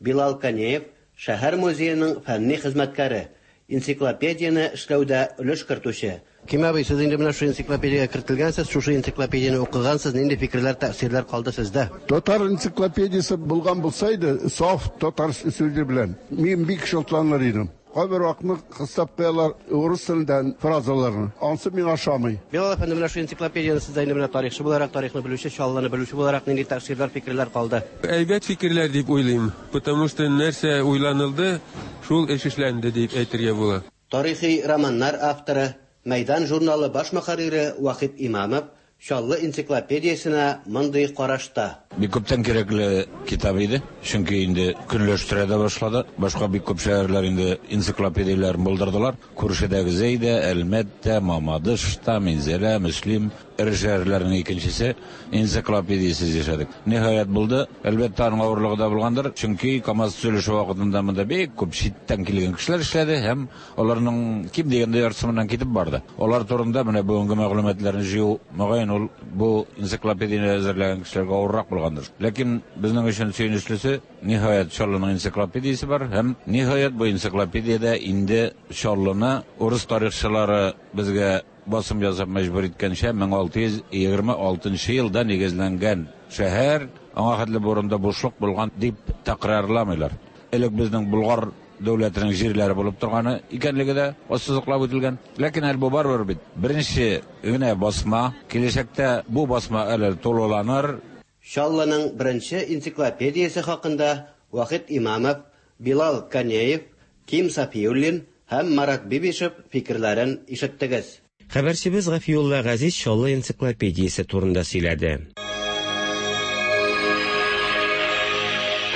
Билал Канеев шәһәр музееның фәнни хезмәткәре, энциклопедияне эшләүдә өлеш кертүче. Ким абый, сез инде менә шул энциклопедиягә кертелгәнсез, шушы энциклопедияне укыгансыз, нинди фикерләр, тәэсирләр калды сездә? Татар энциклопедиясе булган булса иде, саф татар сүзе белән, мин бик шатланыр идем. Кайбер вакытны кыстап куялар урыс телендән фразаларны. Ансы миңа ошамый. Билал әфәнде, менә шул энциклопедияне сез инде менә тарихчы буларак, тарихны белүче, Чаллыны белүче буларак нинди тәэсирләр, фикерләр калды? Әйбәт фикерләр дип уйлыйм, потому что нәрсә уйланылды, шул эш эшләнде дип әйтергә була. Тарихи романнар авторы, Мәйдан журналы баш мөхәррире Вахит Имамов Чаллы энциклопедиясенә мондый карашта. Бик күптән кирәкле китап иде, чөнки инде көнләштерә дә башлады. Башка бик күп шәһәрләр инде энциклопедияләрен булдырдылар. Күршедәге Зәйдә, Әлмәттә, Мамадышта, Минзәлә, Мөслим эре шәһәрләренең икенчесе энциклопедиясез яшәдек. Ниһаять булды. Әлбәттә, аның авырлыгы да булгандыр, чөнки КАМАЗ төзелеше вакытында монда бик күп читтән килгән кешеләр эшләде һәм аларның ким дигәндә яртысы моннан китеп барды. Алар турында менә бүгенге мәгълүматларны җыю, мөгаен, ул бу энциклопедияне әзерләгән кешеләргә авыррак булгандыр. Ләкин безнең өчен сөенечлесе, ниһаять Чаллының энциклопедиясе бар һәм ниһаять бу энциклопедиядә инде Чаллыны урыс тарихчылары безгә басым ясап мәҗбүр иткәнчә мең алты йөз егерме алтынчы елда нигезләнгән шәһәр, аңа хәтле бу урында бушлык булган дип тәкрарламыйлар. Элек безнең Болгар дәүләтенең җирләре булып торганы икәнлеге дә ассызыклап үтелгән. Ләкин әле бу барыбер бит беренче генә басма, киләчәктә бу басма әле тулыланыр. Чаллының беренче энциклопедиясе хакында Вахит Имамов, Билал Канеев, Ким Сафиуллин һәм Марат Бибишев фикерләрен ишеттегез. Хәбәрчебез Гафиулла Газиз Чаллы энциклопедиясе турында сөйләде.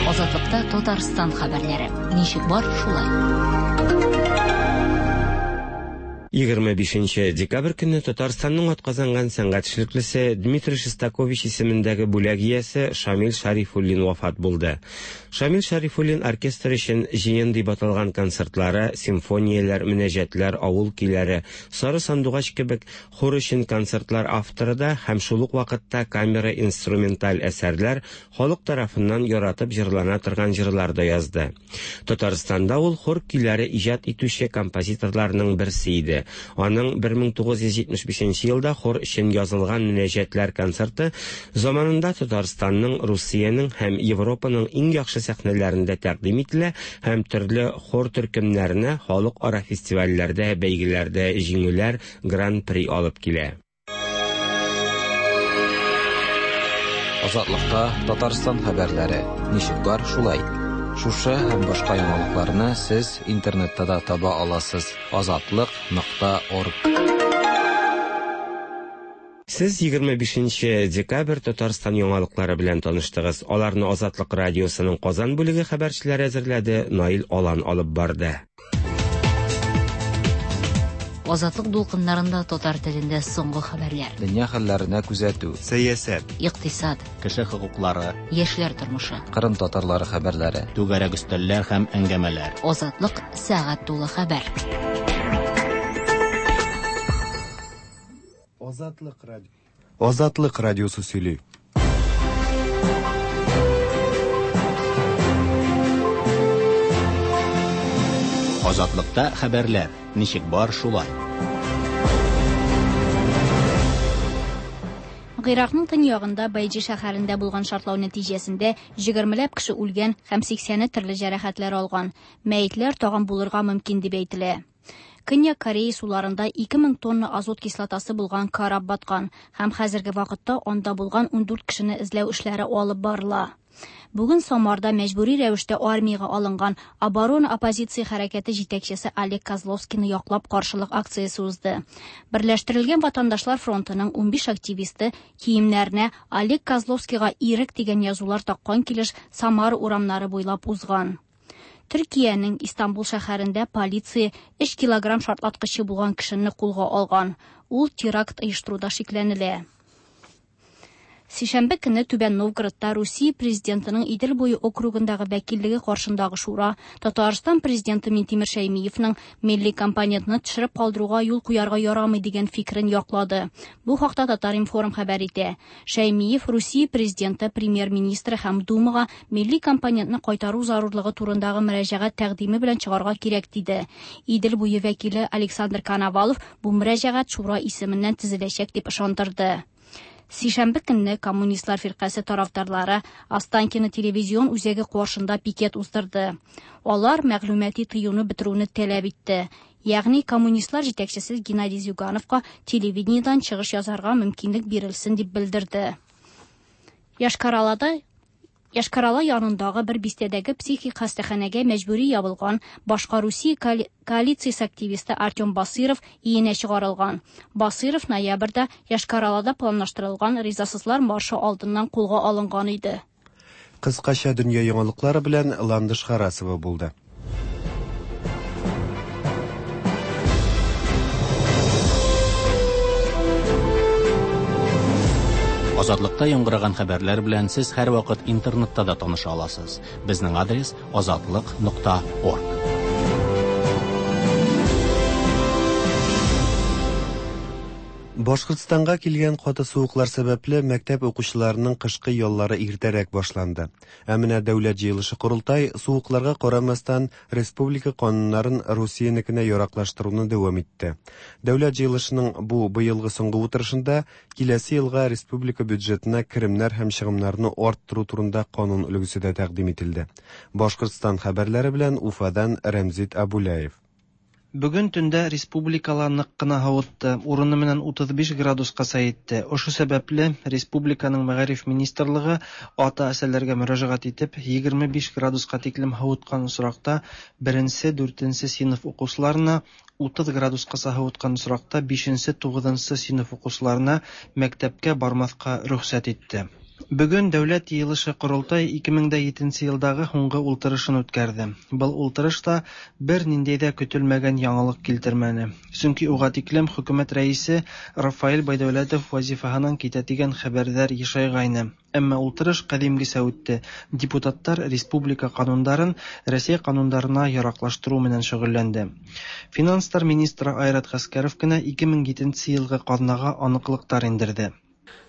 Азатлыкта Татарстан хәбәрләре. Ничек бар, шулай. Егерме бишенче декабрь көнне Татарстанның атказанган сәнгать эшлеклесе Дмитрий Шостакович исемендәге бүләк иясе Шамил Шарифуллин вафат булды. Шамил Шарифуллин оркестр өчен җыен дип аталган концертлары, симфонияләр, мөнәҗәтләр, авыл көйләре, Сары сандугач кебек хор өчен концертлар авторы да һәм шул ук вакытта камера инструменталь әсәрләр халык тарафыннан яратып җырлана торган җырлар да язды. Татарстанда ул хор көйләре иҗат итүче композиторларның берсе иде. Аның бер мең тугыз йөз җитмеш бишенче елда хор өчен язылган мөнәҗәтләр концерты заманында Татарстанның, Русиянең һәм Европаның иң яхшы сәхнәләрендә тәкъдим ителә һәм төрле хор төркемнәренә халыкара фестивальләрдә, бәйгеләрдә җиңүләр, гран-при алып килә. Азатлыкта Татарстан хәбәрләре. Ничек бар, шулай. Шушы һәм башка яңалыкларны сез интернетта да таба аласыз. Азатлык нокта орг. Сез егерме бишенче декабрь Татарстан яңалыклары белән таныштыгыз. Аларны Азатлык радиосының Казан бүлеге хәбәрчеләре әзерләде, Наил Алан алып барды. Азатлык дулкыннарында татар телендә соңгы хәбәрләр. Дөнья хәлләренә күзәтү, сәясәт, икътисад, кеше хокуклары, яшьләр тормышы, Кырым татарлары хәбәрләре, түгәрәк өстәлләр һәм әңгәмәләр. Азатлык сәгать тулы хәбәр. Азатлык радио. Азатлык радиосы сөйли. Азатлыкта хәбәрләр ничек бар, шулай. Гыйракның төньягында Байҗи шәһәрендә булган шартлау нәтиҗәсендә егермеләп кеше үлгән һәм сиксәне төрле җәрәхәтләр алган. Мәетләр тагын булырга мөмкин дип әйтелә. Көньяк Корея суларында ике мең тонна азот кислотасы булган кораб баткан һәм хәзерге вакытта анда булган ундүрт кешене эзләү эшләре алып барыла. Бүген Самарда мәҗбүри рәвештә армиягә алынган оборона оппозиция хәрәкәте җитәкчесе Олег Козловскийны яклап каршылык акциясе узды. Берләштерелгән ватандашлар фронтының унбиш активисты киемнәренә Олег Козловскийга ирек дигән язулар таккан килеш Самара урамнары буйлап узган. Төркиянең Истанбул шәһәрендә полиция өч килограмм шартлаткычы булган кешене кулга алган. Ул теракт оештыруда шикләнелә. Сишәмбе көне Түбән Новгородта Русия президентының Идел буе округындагы вәкиллеге каршындагы шура Татарстан президенты Минтимер Шәймиевның милли компонентны төшереп калдыруга юл куярга ярамый дигән фикерен яклады. Бу хакта Татар-информ хәбәр итә. Шәймиев Русия президенты, премьер-министры һәм Думага милли компонентны кайтару зарурлыгы турындагы мөрәҗәгать тәкъдиме белән чыгарга кирәк диде. Идел буе вәкиле Александр Коновалов бу мөрәҗәгать шура исеменнән төзеләчәк дип ышандырды. Сишәмбе көнне Коммунистлар фиркасе тарафдарлары Останкино телевизион үзәге каршында пикет уздырды. Алар мәгълүмати тыюны бетерүне таләп итте. Ягъни коммунистлар җитәкчесе Геннадий Зюгановка телевидениедән чыгыш язарга мөмкинлек бирелсен дип белдерде. Йошкар-Олада Йошкар-Ола янындагы бер бистәдәге психик хастаханәгә мәҗбүри ябылган башка Русия коалициясе активисты Артем Басыров иенә чыгарылган. Басыров ноябрьдә Йошкар-Олада планлаштырылган ризасызлар маршы алдыннан кулга алынган иде. Кыскача дөнья яңалыклары белән Ландыш Харасова булды. Азатлыкта яңгыраган хәбәрләр белән сез һәрвакыт интернетта да таныша аласыз. Безнең адрес азатлык нокта орг. Башкортстанга килгән каты суыклар сәбәпле мәктәп укучыларының кышкы яллары иртәрәк башланды. Ә менә дәүләт җыелышы корылтай суыкларга карамастан республика кануннарын Русиянекенә яраклаштыруны дәвам итте. Дәүләт җыелышының бу быелгы соңгы утырышында киләсе елга республика бюджетына керемнәр һәм чыгымнарны арттыру турында канун өлгесе дә тәкъдим ителде. Башкортстан хәбәрләре белән Уфадан Рәмзит Абуляев. Бүген төндә республикала нык кына һавытты, урыны менән утыз биш градуска җитте. Ошо сәбәпле республиканың мәгариф министрлыгы ата-әсәләргә мөрәҗәгать итеп, егерме биш градуска тиклем һавыткан очракта беренче, дүртенче сыйныф укучыларына, утыз градуска һавыткан очракта бишенче, тугызынчы сыйныф укучыларына мәктәпкә бармаска рөхсәт итте. Бүген дәүләт йыелышы корылтай ике мең дә етенче елдагы һуңгы ултырышын үткәрде. Был ултырыш та бер ниндәй дә көтелмәгән яңалык килтермәне. Чөнки уга тиклем хөкүмәт рәисе Рафаэль Байдәүләтов вазифаһынан китә дигән хәбәрләр ешайгайны. Әмма ултырыш кадимгесә үтте. Депутаттар республика канундарын Россия канундарына яраклаштыру менән шөгыльләнде. Финанслар министры Айрат Гаскәров кенә ике мең етенче елгы казнага аныклыктар индерде.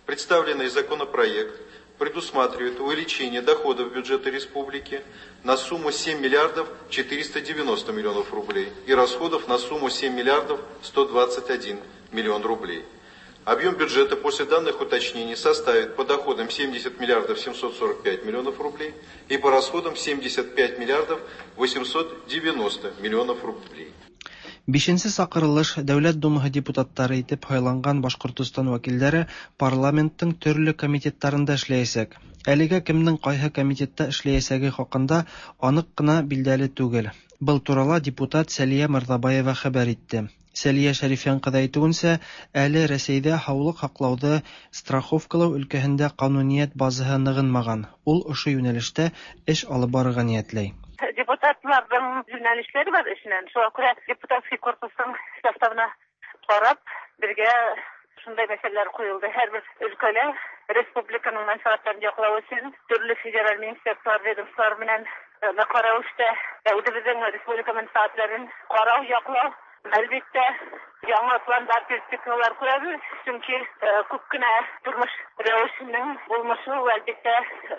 Представленный законопроект предусматривает увеличение доходов бюджета республики на сумму семь миллиардов четыреста девяносто миллионов рублей и расходов на сумму семь миллиардов сто двадцать один миллион рублей. Объем бюджета после данных уточнений составит по доходам семьдесят миллиардов семьсот сорок пять миллионов рублей и по расходам семьдесят пять миллиардов восемьсот девяносто миллионов рублей. Бишенче сакырылыш Дәүләт Думаһы депутаттары итеп һайланган Башкортостан вәкилләре парламенттың төрле комитетларында эшләячәк. Әлегә кемнең кайһы комитетта эшләячәге хакында анык кына билдәле түгел. Был турала депутат Сәлия Мырҙабаева хәбәр итте. Сәлия Шәрифян ҡыҙы әйтеүенсә, әле Рәсәйҙә һаулыҡ һаҡлауҙы страховкалау өлкәһендә ҡануниәт базаһы нығынмаған. Ул ошо йүнәлештә эш алып барырға ниәтләй. Депутатларҙың йүнәлештәре бар эшенән. Шуға күрә депутатский корпустың составына ҡарап, беҙгә шундай мәсьәләләр ҡуйылды. Һәр бер өлкәлә республиканың мәнфәғәттәрен яҡлау өсөн төрлө федераль министерстволар, ведомстволар менән ныҡлы рәүештә үҙебеҙҙең республика мәнфәғәттәрен ҡарау, яҡлау. Әлбиттә, яңы пландар, перспективалар күрәбеҙ, сөнки күп кенә тормош рәүешенең булмышы, әлбиттә,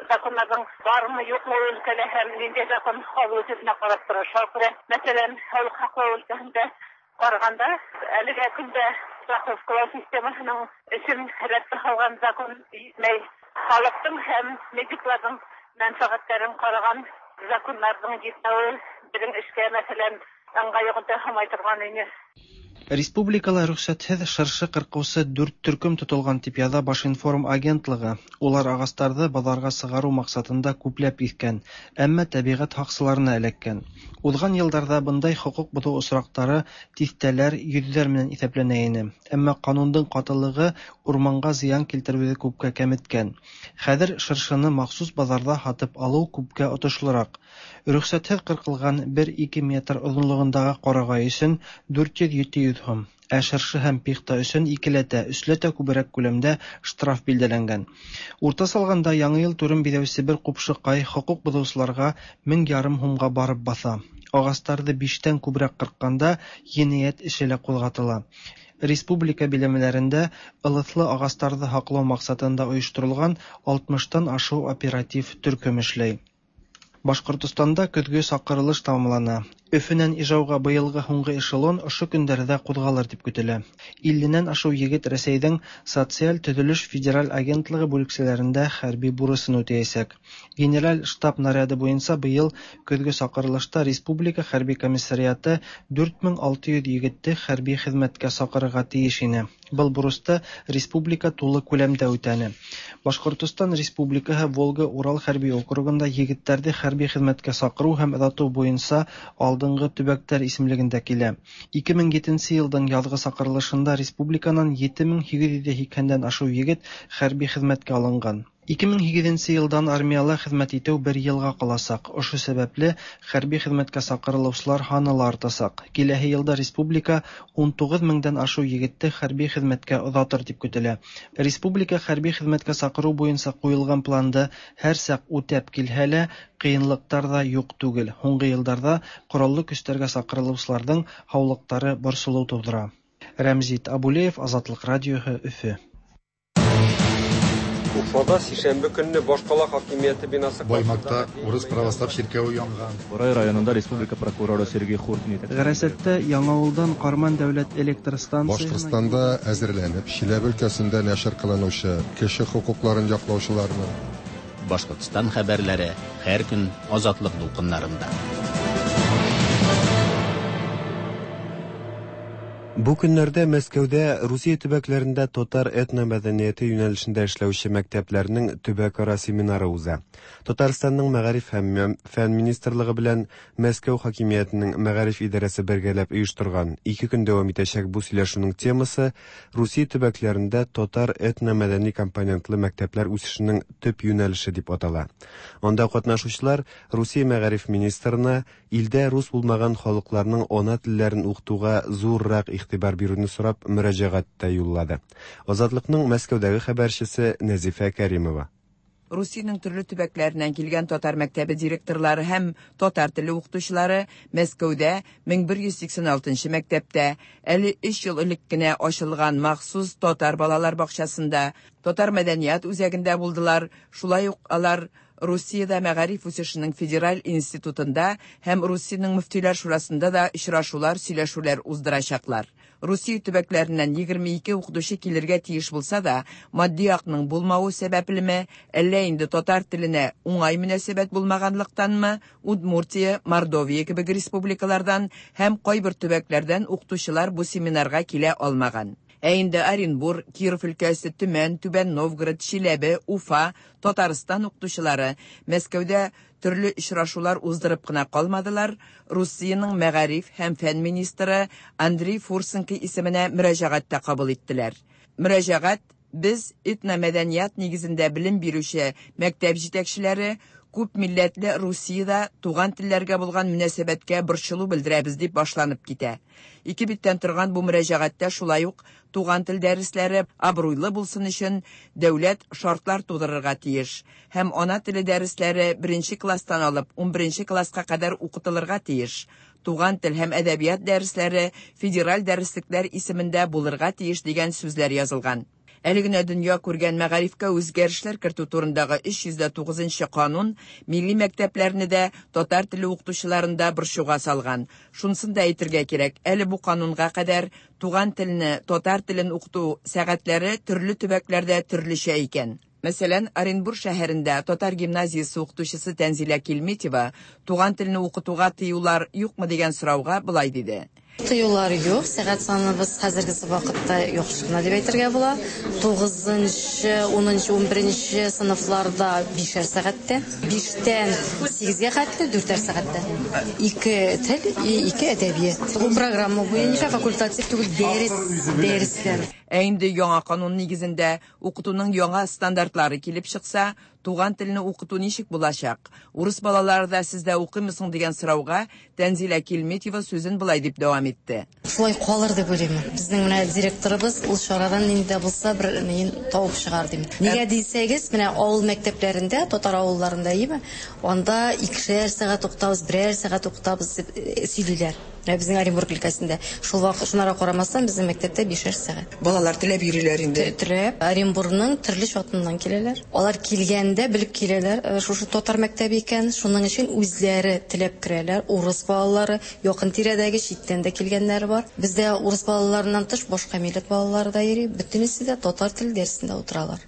законнарҙың бармы, юҡмы өлкәлә һәм ниндәй закон ҡабул ителеүенә ҡарап тора. Шуға күрә, мәҫәлән, һаулыҡ һаҡлау өлкәһендә ҡарағанда, әлегә көндә страховкалау системаһының өсөн рәткә һалған закон етмәй. Халыҡтың һәм медикларҙың мәнфәғәттәрен ҡараған законнарҙың етмәүе беҙҙең эшкә, мәҫәлән, ыңғай йоғонто яһамай торған ине. Республикала рөхсәтһеҙ шыршы ҡырҡыусы дүрт төркөм тотолған, тип яҙа Башинформ агентлығы. Улар ағастарҙы баҙарға сығарыу маҡсатында күпләп иҫкән, әммә тәбиғәт һаҡсыларына эләккән. Уҙған йылдарҙа бындай хоҡуҡ боҙоу осраҡтары тиҫтәләр, йөҙҙәр менән иҫәпләнә ине. Әммә ҡанундың ҡатылығы урманға зыян килтереүҙе күпкә кәметкән. Хәҙер шыршыны махсус баҙарҙа һатып алыу күпкә отошлораҡ. Рөхсәтһеҙ ҡырҡылған бер-ике метр оҙонлоғондағы ҡарағай өсөн дүрт йөҙ ете йөҙ һум, ә шыршы һәм пихта өсөн икеләтә, өсләтә күберәк күләмдә штраф билдәләнгән. Уртаса алғанда, яңы йыл түрен биҙәүсе бер ҡупшыҡай хоҡуҡ боҙоусыларға мең ярым һумға барып баҫа. Ағастарҙы биштән күберәк ҡырҡҡанда енәйәт эше лә ҡуҙғатыла. Республика биләмәләрендә ылыҫлы ағастарҙы һаҡлау маҡсатында ойошторолған алтмыштан ашыу оператив төркөм эшләй. Башҡортостанда көҙгө саҡырылыш тамамлана. Өфөнән Ижауға быйылғы һуңғы эшелон ошо көндәрҙә ҡуҙғалыр тип көтөлә. Илленән ашыу егет Рәсәйҙең Социаль төҙөлөш федераль агентлығы бүлексәләрендә хәрби бурысын үтәйәсәк. Генераль штаб наряды буйынса быйыл көҙгө саҡырылышта Республика хәрби комиссариаты дүрт мең алты йөҙ егетте хәрби хеҙмәткә саҡырырға тейеш ине. Был бурысты республика тулы күләмдә үтәне. Башҡортостан Республикаһы Волга-Урал хәрби округында егеттәрҙе хәрби хеҙмәткә саҡырыу һәм оҙатыу буйынса алдынғы төбәктәр исемлегендә килә. ике мең етенсе йылдың яҙғы саҡырылышында республиканан ете мең һигеҙ йөҙ һикһәндән ашыу егет хәрби хеҙмәткә алынған. ике мең һигеҙенсе йылдан армияла хеҙмәт итеү бер йылға ҡаласаҡ. Ошо сәбәпле хәрби хеҙмәткә саҡырылыусылар һаны ла артасаҡ. Киләһе йылда республика ун туғыҙ меңдән ашыу егетте хәрби хеҙмәткә оҙатыр тип көтөлә. Республика хәрби хеҙмәткә саҡырыу буйынса ҡуйылған планды һәр саҡ үтәп килһә лә, ҡыйынлыҡтар ҙа юҡ түгел. Һуңғы йылдарҙа ҡораллы көстәргә саҡырылыусыларҙың һаулыҡтары борсолоу тыуҙыра. Рәмзит Абулеев, Азатлыҡ радиоһы, Өфө. Уфада сишәмбе көнне башҡала хакимиәте бинасы Баймакта урыс православ ширкәүе янган. Бурай районында республика прокуроры Сергей Хуртин Ғәрәсәттә Яңауылдан Ҡарман дәүләт электр станцияһына Башҡортостанда әҙерләнеп, Чиләбе өлкәсендә нәшер ҡылыныусы кеше хоҡуҡларын яҡлаусыларны Башҡортостан хәбәрләре һәр көн Азатлыҡ дулҡындарында. Бу көннәрдә Мәскәүдә Русия төбәкләрендә татар этномәдәниәте юнәлешендә эшләүче мәктәпләрнең төбәкара семинары уза. Татарстанның мәгариф һәм фән министрлыгы белән Мәскәү хакимиятенең мәгариф идарәсе бергәләп оештырган ике көн дәвам итәчәк бу сөйләшүнең темасы Русия төбәкләрендә татар этномәдәни компонентлы мәктәпләр үсешенең төп юнәлеше дип атала. Анда катнашучылар Русия мәгариф министрына илдә рус булмаган халыкларның ана телләрен укытуга зуррак игътибар бирүне сорап мөрәҗәгать тә юллады. Азатлыкның Мәскәүдәге хәбәрчесе Нәзифә Кәримова. Русиянең төрле төбәкләреннән килгән татар мәктәбе директорлары һәм татар теле укытучылары Мәскәүдә мең бер йөҙ һикһән алтынсы мәктәптә әле өс йыл элек кенә ачылган махсус татар балалар бакчасында, татар мәдәният үзәгендә булдылар. Шулай ук алар Русиядә Мәгариф үсешенең федераль институтында һәм Русиянең мөфтиләр шурасында да очрашулар, сөйләшүләр уздырачаклар. Русия төбәкләреннән егерме ике укытучы килергә тиеш булса да, матди якның булмавы сәбәплеме, әллә инде татар теленә уңай мөнәсәбәт булмаганлыктанмы, Удмуртия, Мордовия кебек республикалардан һәм кайбер төбәкләрдән укытучылар бу семинарга килә алмаган. Ә инде Оренбур, Киров өлкәсе, Төмән, Түбән Новгород, Чиләбе, Уфа, Татарстан укытучылары Мәскәүдә төрле очрашулар уздырып кына калмадылар, Русиянең мәгариф һәм фән министры Андрей Фурсенко исеменә мөрәҗәгать тә кабул иттеләр. Мөрәҗәгать без этномәдәният нигезендә белем бирүче мәктәп җитәкчеләре күп милләтле Русиядә туган телләргә булган мөнәсәбәткә борчылу белдерәбез дип башланып китә. Ике биттән торган бу мөрәҗәгатьтә шулай ук туган тел дәресләре абруйлы булсын өчен дәүләт шартлар тудырырга тиеш һәм ана теле дәресләре беренче класстан алып унберенче класска кадәр укытылырга тиеш. Туган тел һәм әдәбият дәресләре федераль дәреслекләр исемендә булырга тиеш дигән сүзләр язылган. Әле генә дөнья күргән мәгарифкә үзгәрешләр кертү турындагы өч йөз дә тугызынчы канун милли мәктәпләрне дә татар теле укытучыларын да борчуга салган. Шунысын да әйтергә кирәк, әле бу канунга кадәр туган телне, татар телен укыту сәгатьләре төрле төбәкләрдә төрлечә икән. Мәсәлән, Оренбур шәһәрендә татар гимназиясе укытучысы Тәнзилә Килметева туган телне укытуга тыюлар юкмы дигән сорауга болай диде. Тыюлар юк, сәгать саныбыз хәзерге вакытта яхшы гына дип әйтергә була. Тугызынчы, унынчы, унберенче сыйныфларда бишәр сәгатьтә, биштән сигезгә хәтле дүртәр сәгатьтә. Ике тел, ике әдәбият. Бу программа буенча факультатив түгел, дәрес, дәресләр. Ә инде яңа канун нигезендә укытуның яңа стандартлары килеп чыкса, туган телне укыту ничек булачак? Урыс балалары да сездә укыймы соң дигән сорауга Тәнзилә Килметева сүзен болай дип дәвам итте. Шулай калыр дип уйлыйм. Безнең менә директорыбыз ул чарадан нинди дә булса бер нин табып чыгар дим. Нигә дисәгез, менә авыл мәктәпләрендә, татар авылларында име, анда икешәр сәгать укытабыз, берәр сәгать укытабыз дип сөйлиләр. Менә безнең Оренбург өлкәсендә. Шул вакыт шунара карамастан безнең мәктәптә бишәр сәгать. Балалар теләп йөриләр инде. Теләп. Оренбургның төрле чатыннан киләләр. Алар килгәндә белеп киләләр, шушы татар мәктәбе икән, шуның өчен үзләре теләп керәләр. Урыс балалары, якын тирәдәге читтән дә килгәннәр бар. Бездә урыс балаларыннан тыш башка милләт балалары да йөри. Бөтенесе дә татар теле дәресендә утыралар.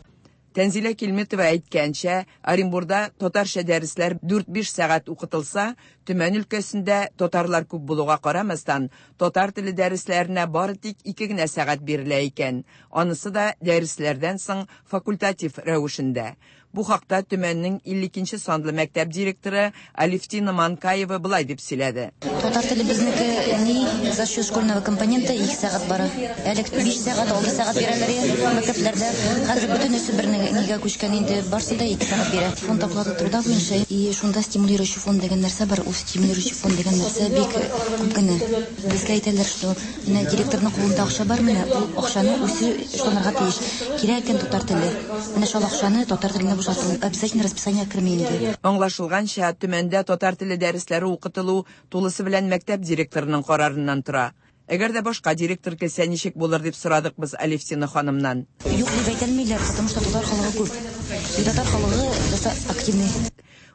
Тәнзилә Килметова әйткәнчә, Оренбурда татарча дәресләр дүрт-биш сәгать укытылса, Төмән өлкәсендә татарлар күп булуга карамастан, татар теле дәресләренә бары тик ике генә сәгать бирелә икән. Анысы да дәресләрдән соң факультатив рәвешендә. Бу хакта Төмәннең илле икенче санлы мәктәп директоры Алевтина Манкаева болай дип сөйләде. Татар теле безнеке ни за счет школьного компонента ике сәгать бара. Әле биш сәгать, алты сәгать бирәләр мәктәпләрдә. Хәзер бөтенесе бер нигә күчкән инде, барсы да ике сәгать бирә. Фонд оплаты труда буенча и шунда стимулирующий фонд дигән нәрсә бар. Ул стимулирующий фонд дигән нәрсә бик күп кенә. Безгә әйтәләр, что менә директорның кулында акча бар, менә ул акчаны үзе эшләнергә тиеш. Кирәк икән татар теле. Менә шул акчаны татар теленә бушату. Обязательно расписание керми инде. Аңлашылганча, Төмәндә татар теле дәресләре укытылу тулысы белән мәктәп директорының карарыннан тора. Әгәр дә башка директор килсә ничек булыр дип сорадык без Алевтина ханымнан. Юк дип әйтәлмиләр, потому что татар халыгы күп. И татар халыгы достаточно активный.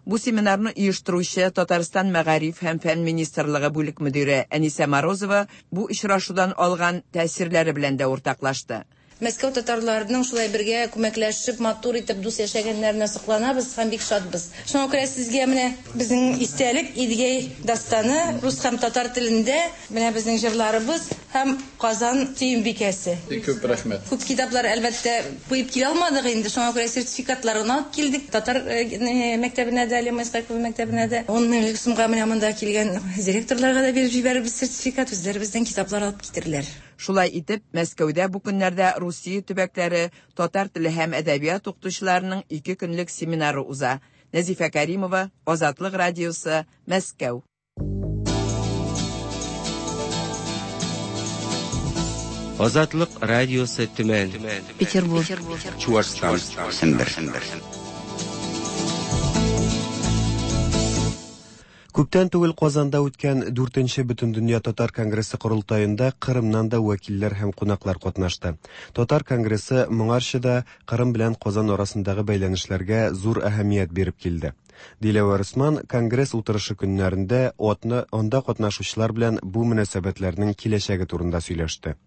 Бу семинарны оештыручы Татарстан Мәгариф һәм фән министрлыгы бүлек мөдире Әнисә Морозова бу очрашудан алган тәэсирләре белән дә уртаклашты. Мәскәү татарларының шулай бергә күмәкләшеп, матур итеп дус яшәгәннәренә сокланабыз һәм бик шатбыз. Шуңа күрә сезгә менә безнең истәлек Идегәй дастаны рус һәм татар телендә, менә безнең җырларыбыз һәм Казан Сөембикәсе. Бик күп рәхмәт. Күп китаплар әлбәттә куеп килә алмадык инде, шуңа күрә сертификатларын алып килдек. Татар мәктәбенә дә, Лема Исхакова мәктәбенә дә ун меңлек сумга менә монда килгән директорларга да биреп җибәрербез сертификат, үзләре бездән китаплар алып китерләр. Шулай итеп, Мәскәүдә бу көннәрдә Русия төбәкләре татар теле һәм әдәбият укытучыларының ике көнлек семинары уза. Нәзифә Каримова, Азатлык радиосы, Мәскәү. Азатлык радиосы Төмән, Петербург, Чуашстан, Сембер. Күптән түгел Казанда үткән дүртенче Бөтендөнья татар конгрессы корылтаенда Кырымнан да вәкилләр һәм кунаклар катнашты. Татар конгрессы моңарчы да Кырым белән Казан арасындагы бәйләнешләргә зур әһәмият биреп килде. Диләвәр Усман конгресс утырышы көннәрендә атны анда катнашучылар белән бу мөнәсәбәтләрнең киләчәге турында сөйләште.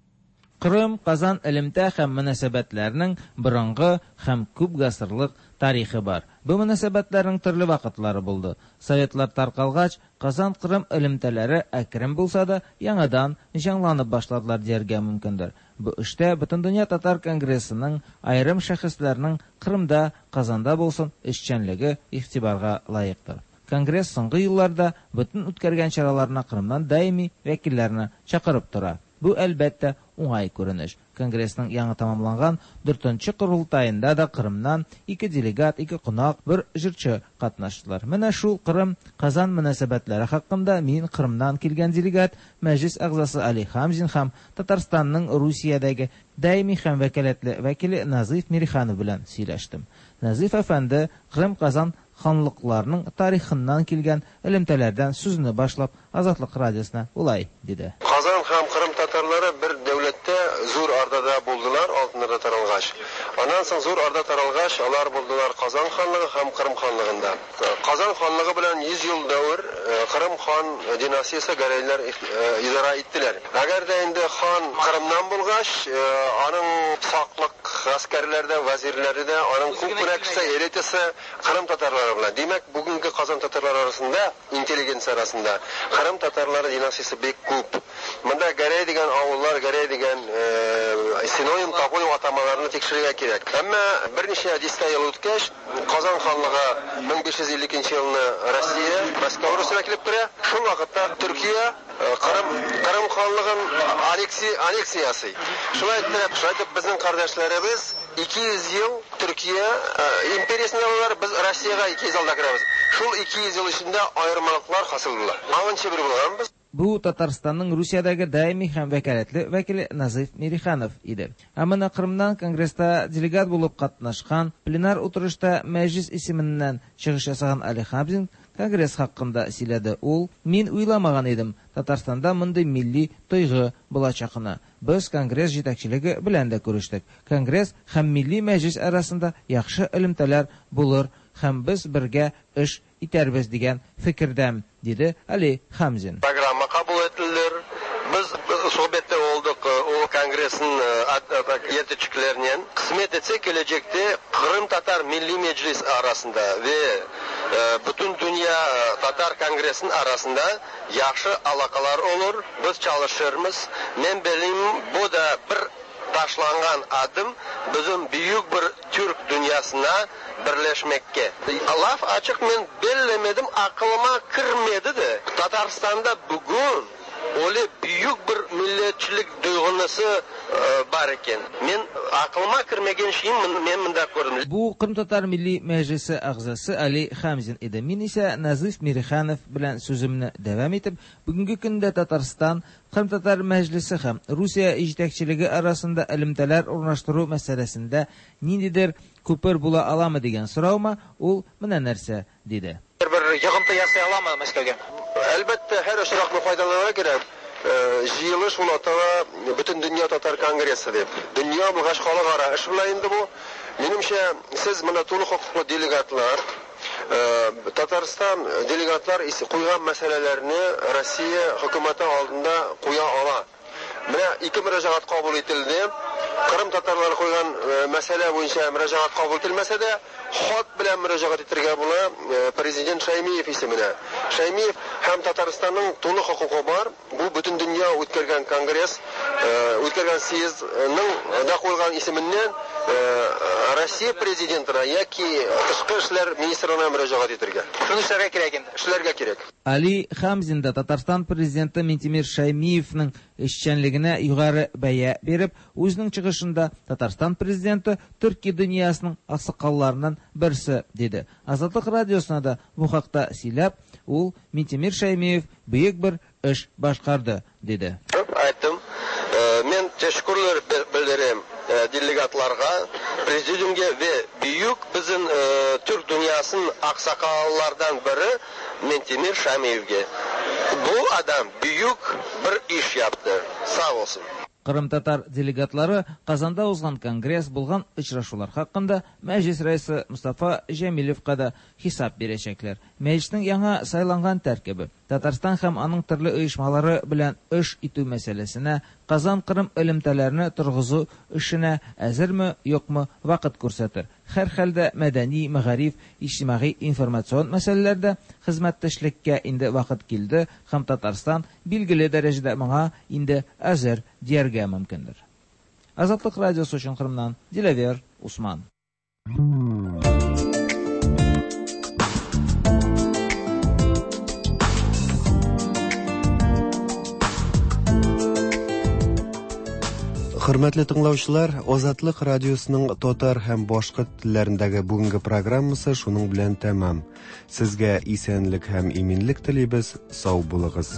Кырым, Казан элемтә һәм мөнәсәбәтләрнең борынгы һәм күп гасырлык тарихы бар. Бу мөнәсәбәтләрнең төрле вакытлары булды. Советлар таркалгач, Казан-Кырым элемтәләре әкрен булса да яңадан җанланып башладылар дияргә мөмкиндер. Бу эштә Бөтендөнья татар конгрессының, аерым шәхесләрнең Кырымда, Казанда булсын эшчәнлеге игътибарга лаектыр. Конгресс соңгы елларда бөтен үткәргән чараларына Кырымнан даими вәкилләрне чакырып тора. Бу, әлбәттә, уңай күренеш. Конгрессның яңа тамамланган дүртенче корылтаенда да Кырымнан ике делегат, ике кунак, бер җырчы катнаштылар. Менә шул Кырым-Казан мөнәсәбәтләре хакында мин Кырымнан килгән делегат, мәҗлис әгъзасы Али Хамзин һәм Татарстанның Русиядәге даими һәм вәкаләтле вәкиле Назыйф Мириханов белән сөйләштем. Назыйф әфәнде Кырым-Казан ханлыкларының тарихыннан килгән элемтәләрдән сүзне башлап Азатлык радиосына улай диде. Казан һәм Кырым татарлары бер дәүләттә Зур Ордада булдылар, Алтын Орда таралгач. Аннан соң Зур Орда таралгач, алар булдылар Казан ханлыгы һәм Кырым ханлыгында. Казан ханлыгы белән йөз ел дәвер Кырым хан династиясе Гәрәйләр идара иттеләр. Әгәр дә инде хан Кырымнан булгач, аның саклык гаскәрләре дә, вәзирләре дә, аның күп кенә кеше элитасы Кырым татарлары белән. Димәк, бүгенге Казан татарлары арасында, интеллигенция арасында Кырым татарлары династиясе бик күп. Монда Гәрәй дигән авыллар, Гәрәй дигән синоним, топоним атамаларны тикшерергә кирәк. Әмма берничә дистә ел үткәч, Казан ханлыгы мең биш йөз илле икенче елны Россия, Мәскәү Русына килеп керә. Шул вакытта Төркия Кырым, Кырым ханлыгын аннексия, аннексия ясый. Шулай итеп, шулай итеп безнең кардәшләребез ике йөз ел Төркия империясендә булалар, без Россиягә ике йөз елда керәбез. Шул ике йөз ел эчендә аермалыклар хасил була. Аңынчы бер булганбыз. Бу Татарстанның Русиядәге даими һәм вәкаләтле вәкиле Назыйф Мириханов иде. Ә менә Кырымнан конгресста делегат булып катнашкан, пленар утырышта мәҗлис исеменнән чыгыш ясаган Али Хамзин конгресс хакында сөйләде. Ул: "Мин уйламаган идем, Татарстанда мондый милли тойгы булачагына. Без конгресс җитәкчелеге белән дә күрештек. Конгресс һәм милли мәҗлис арасында яхшы элемтәләр булыр һәм без бергә эш итәрбез дигән фикердәм", диде Али Хамзин. Программа кабул ителер. Без sohbette olduk o kongressin yetekçilerinden. Kısmet etse gelecekte Kırım Tatar Milli Meclis arasında ve bütün dünya Tatar Kongresinin arasında yaxşı alakalar olur. Biz çalışırmız. Men benim bu da bir taşlangan adım bizim büyük bir Türk dünyasına birleşmekke. Laf açık men bellemedim, aklıma kirmedi de. Tatarstan'da bugün öyle büyük bir milletçilik duygusu бар eken. Men aklıma kirmegen şeyim men mında көрдüm. Бу Кырым татар милли мәҗлисе әгъзасы Али Хамзин иде. Мин исә Назыйф Мириханов белән сүземне дәвам итеп, бүгенге көндә Татарстан Кырым татар мәҗлисе һәм Русия җитәкчелеге арасында элемтәләр урнаштыру мәсьәләсендә ниндидер күпер була аламы дигән сораума ул менә нәрсә диде. Бер йогынты ясый аламы Мәскәүгә? Әлбәттә, һәр очракны файдаланырга кирәк. Җыелыш ул атала Бөтен дөнья татар конгрессы дип. Дөнья булгач халыкара эш була инде бу. Минемчә, сез моны тулы хокуклы делегатлар, Татарстан делегатлар куйган мәсьәләләрне Россия хөкүмәте алдында куя ала. Менә ике мөрәҗәгать кабул ителде. Кырым татарлары куйган мәсьәлә буенча мөрәҗәгать кабул ителмәсә дә, хат белән мөрәҗәгать итәргә була президент Шаймиев исеменә. Шаймиев һәм Татарстанның тулы хокукы бар. Бу бөтен дөнья үткәргән конгресс, үткәргән съездның да куйган исеменнән Россия президентына яки тышкы эшләр министрына мөрәҗәгать итәргә. Шуны эшләргә кирәк инде. Эшләргә кирәк. Али Хамзин да Татарстан президенты Минтимер Шаймиевның эшчәнлегенә югары бәя биреп, үзенең чыгышында Татарстан президенты Төрки дөньясының аксакалларыннан берсе диде. Азатлык радиосына да бу хакта сөйләп, ул Минтимер Шаймиев бөек бер эш башкарды диде. Айттым, мен teşekkürler bildirem delegatlarga, prezidiumga ve büyük bizim Türk dünyasının aksakallardan biri Минтимер Шаймиевге. Бу адам бүйүк бир иш япты. Сау болсун. Кырым татар делегатлары Казанда узган конгресс булган очрашулар хакында Мәҗлис рәисе Мустафа Җәмилевка да хисап бирәчәкләр. Мәҗлиснең яңа сайланган тәркибе Татарстан һәм аның төрле оешмалары белән эш итү мәсьәләсенә, Казан-Кырым элемтәләрне торгызу эшенә әзерме, юкмы, вакыт күрсәтер. Һәр хәлдә мәдәни, мәгариф, иҗтимагый, информацион мәсьәләләрдә хезмәттәшлеккә инде вакыт килде һәм Татарстан билгеле дәрәҗәдә моңа инде әзер дияргә мөмкиндер. Азатлык радиосы өчен Кырымнан Диләвер Усман. Хөрмәтле тыңлаучылар, Азатлык радиосының татар һәм башкорт телләрендәге бүгенге программасы шуның белән тәмам. Сезгә исәнлек һәм иминлек телибез, сау булыгыз.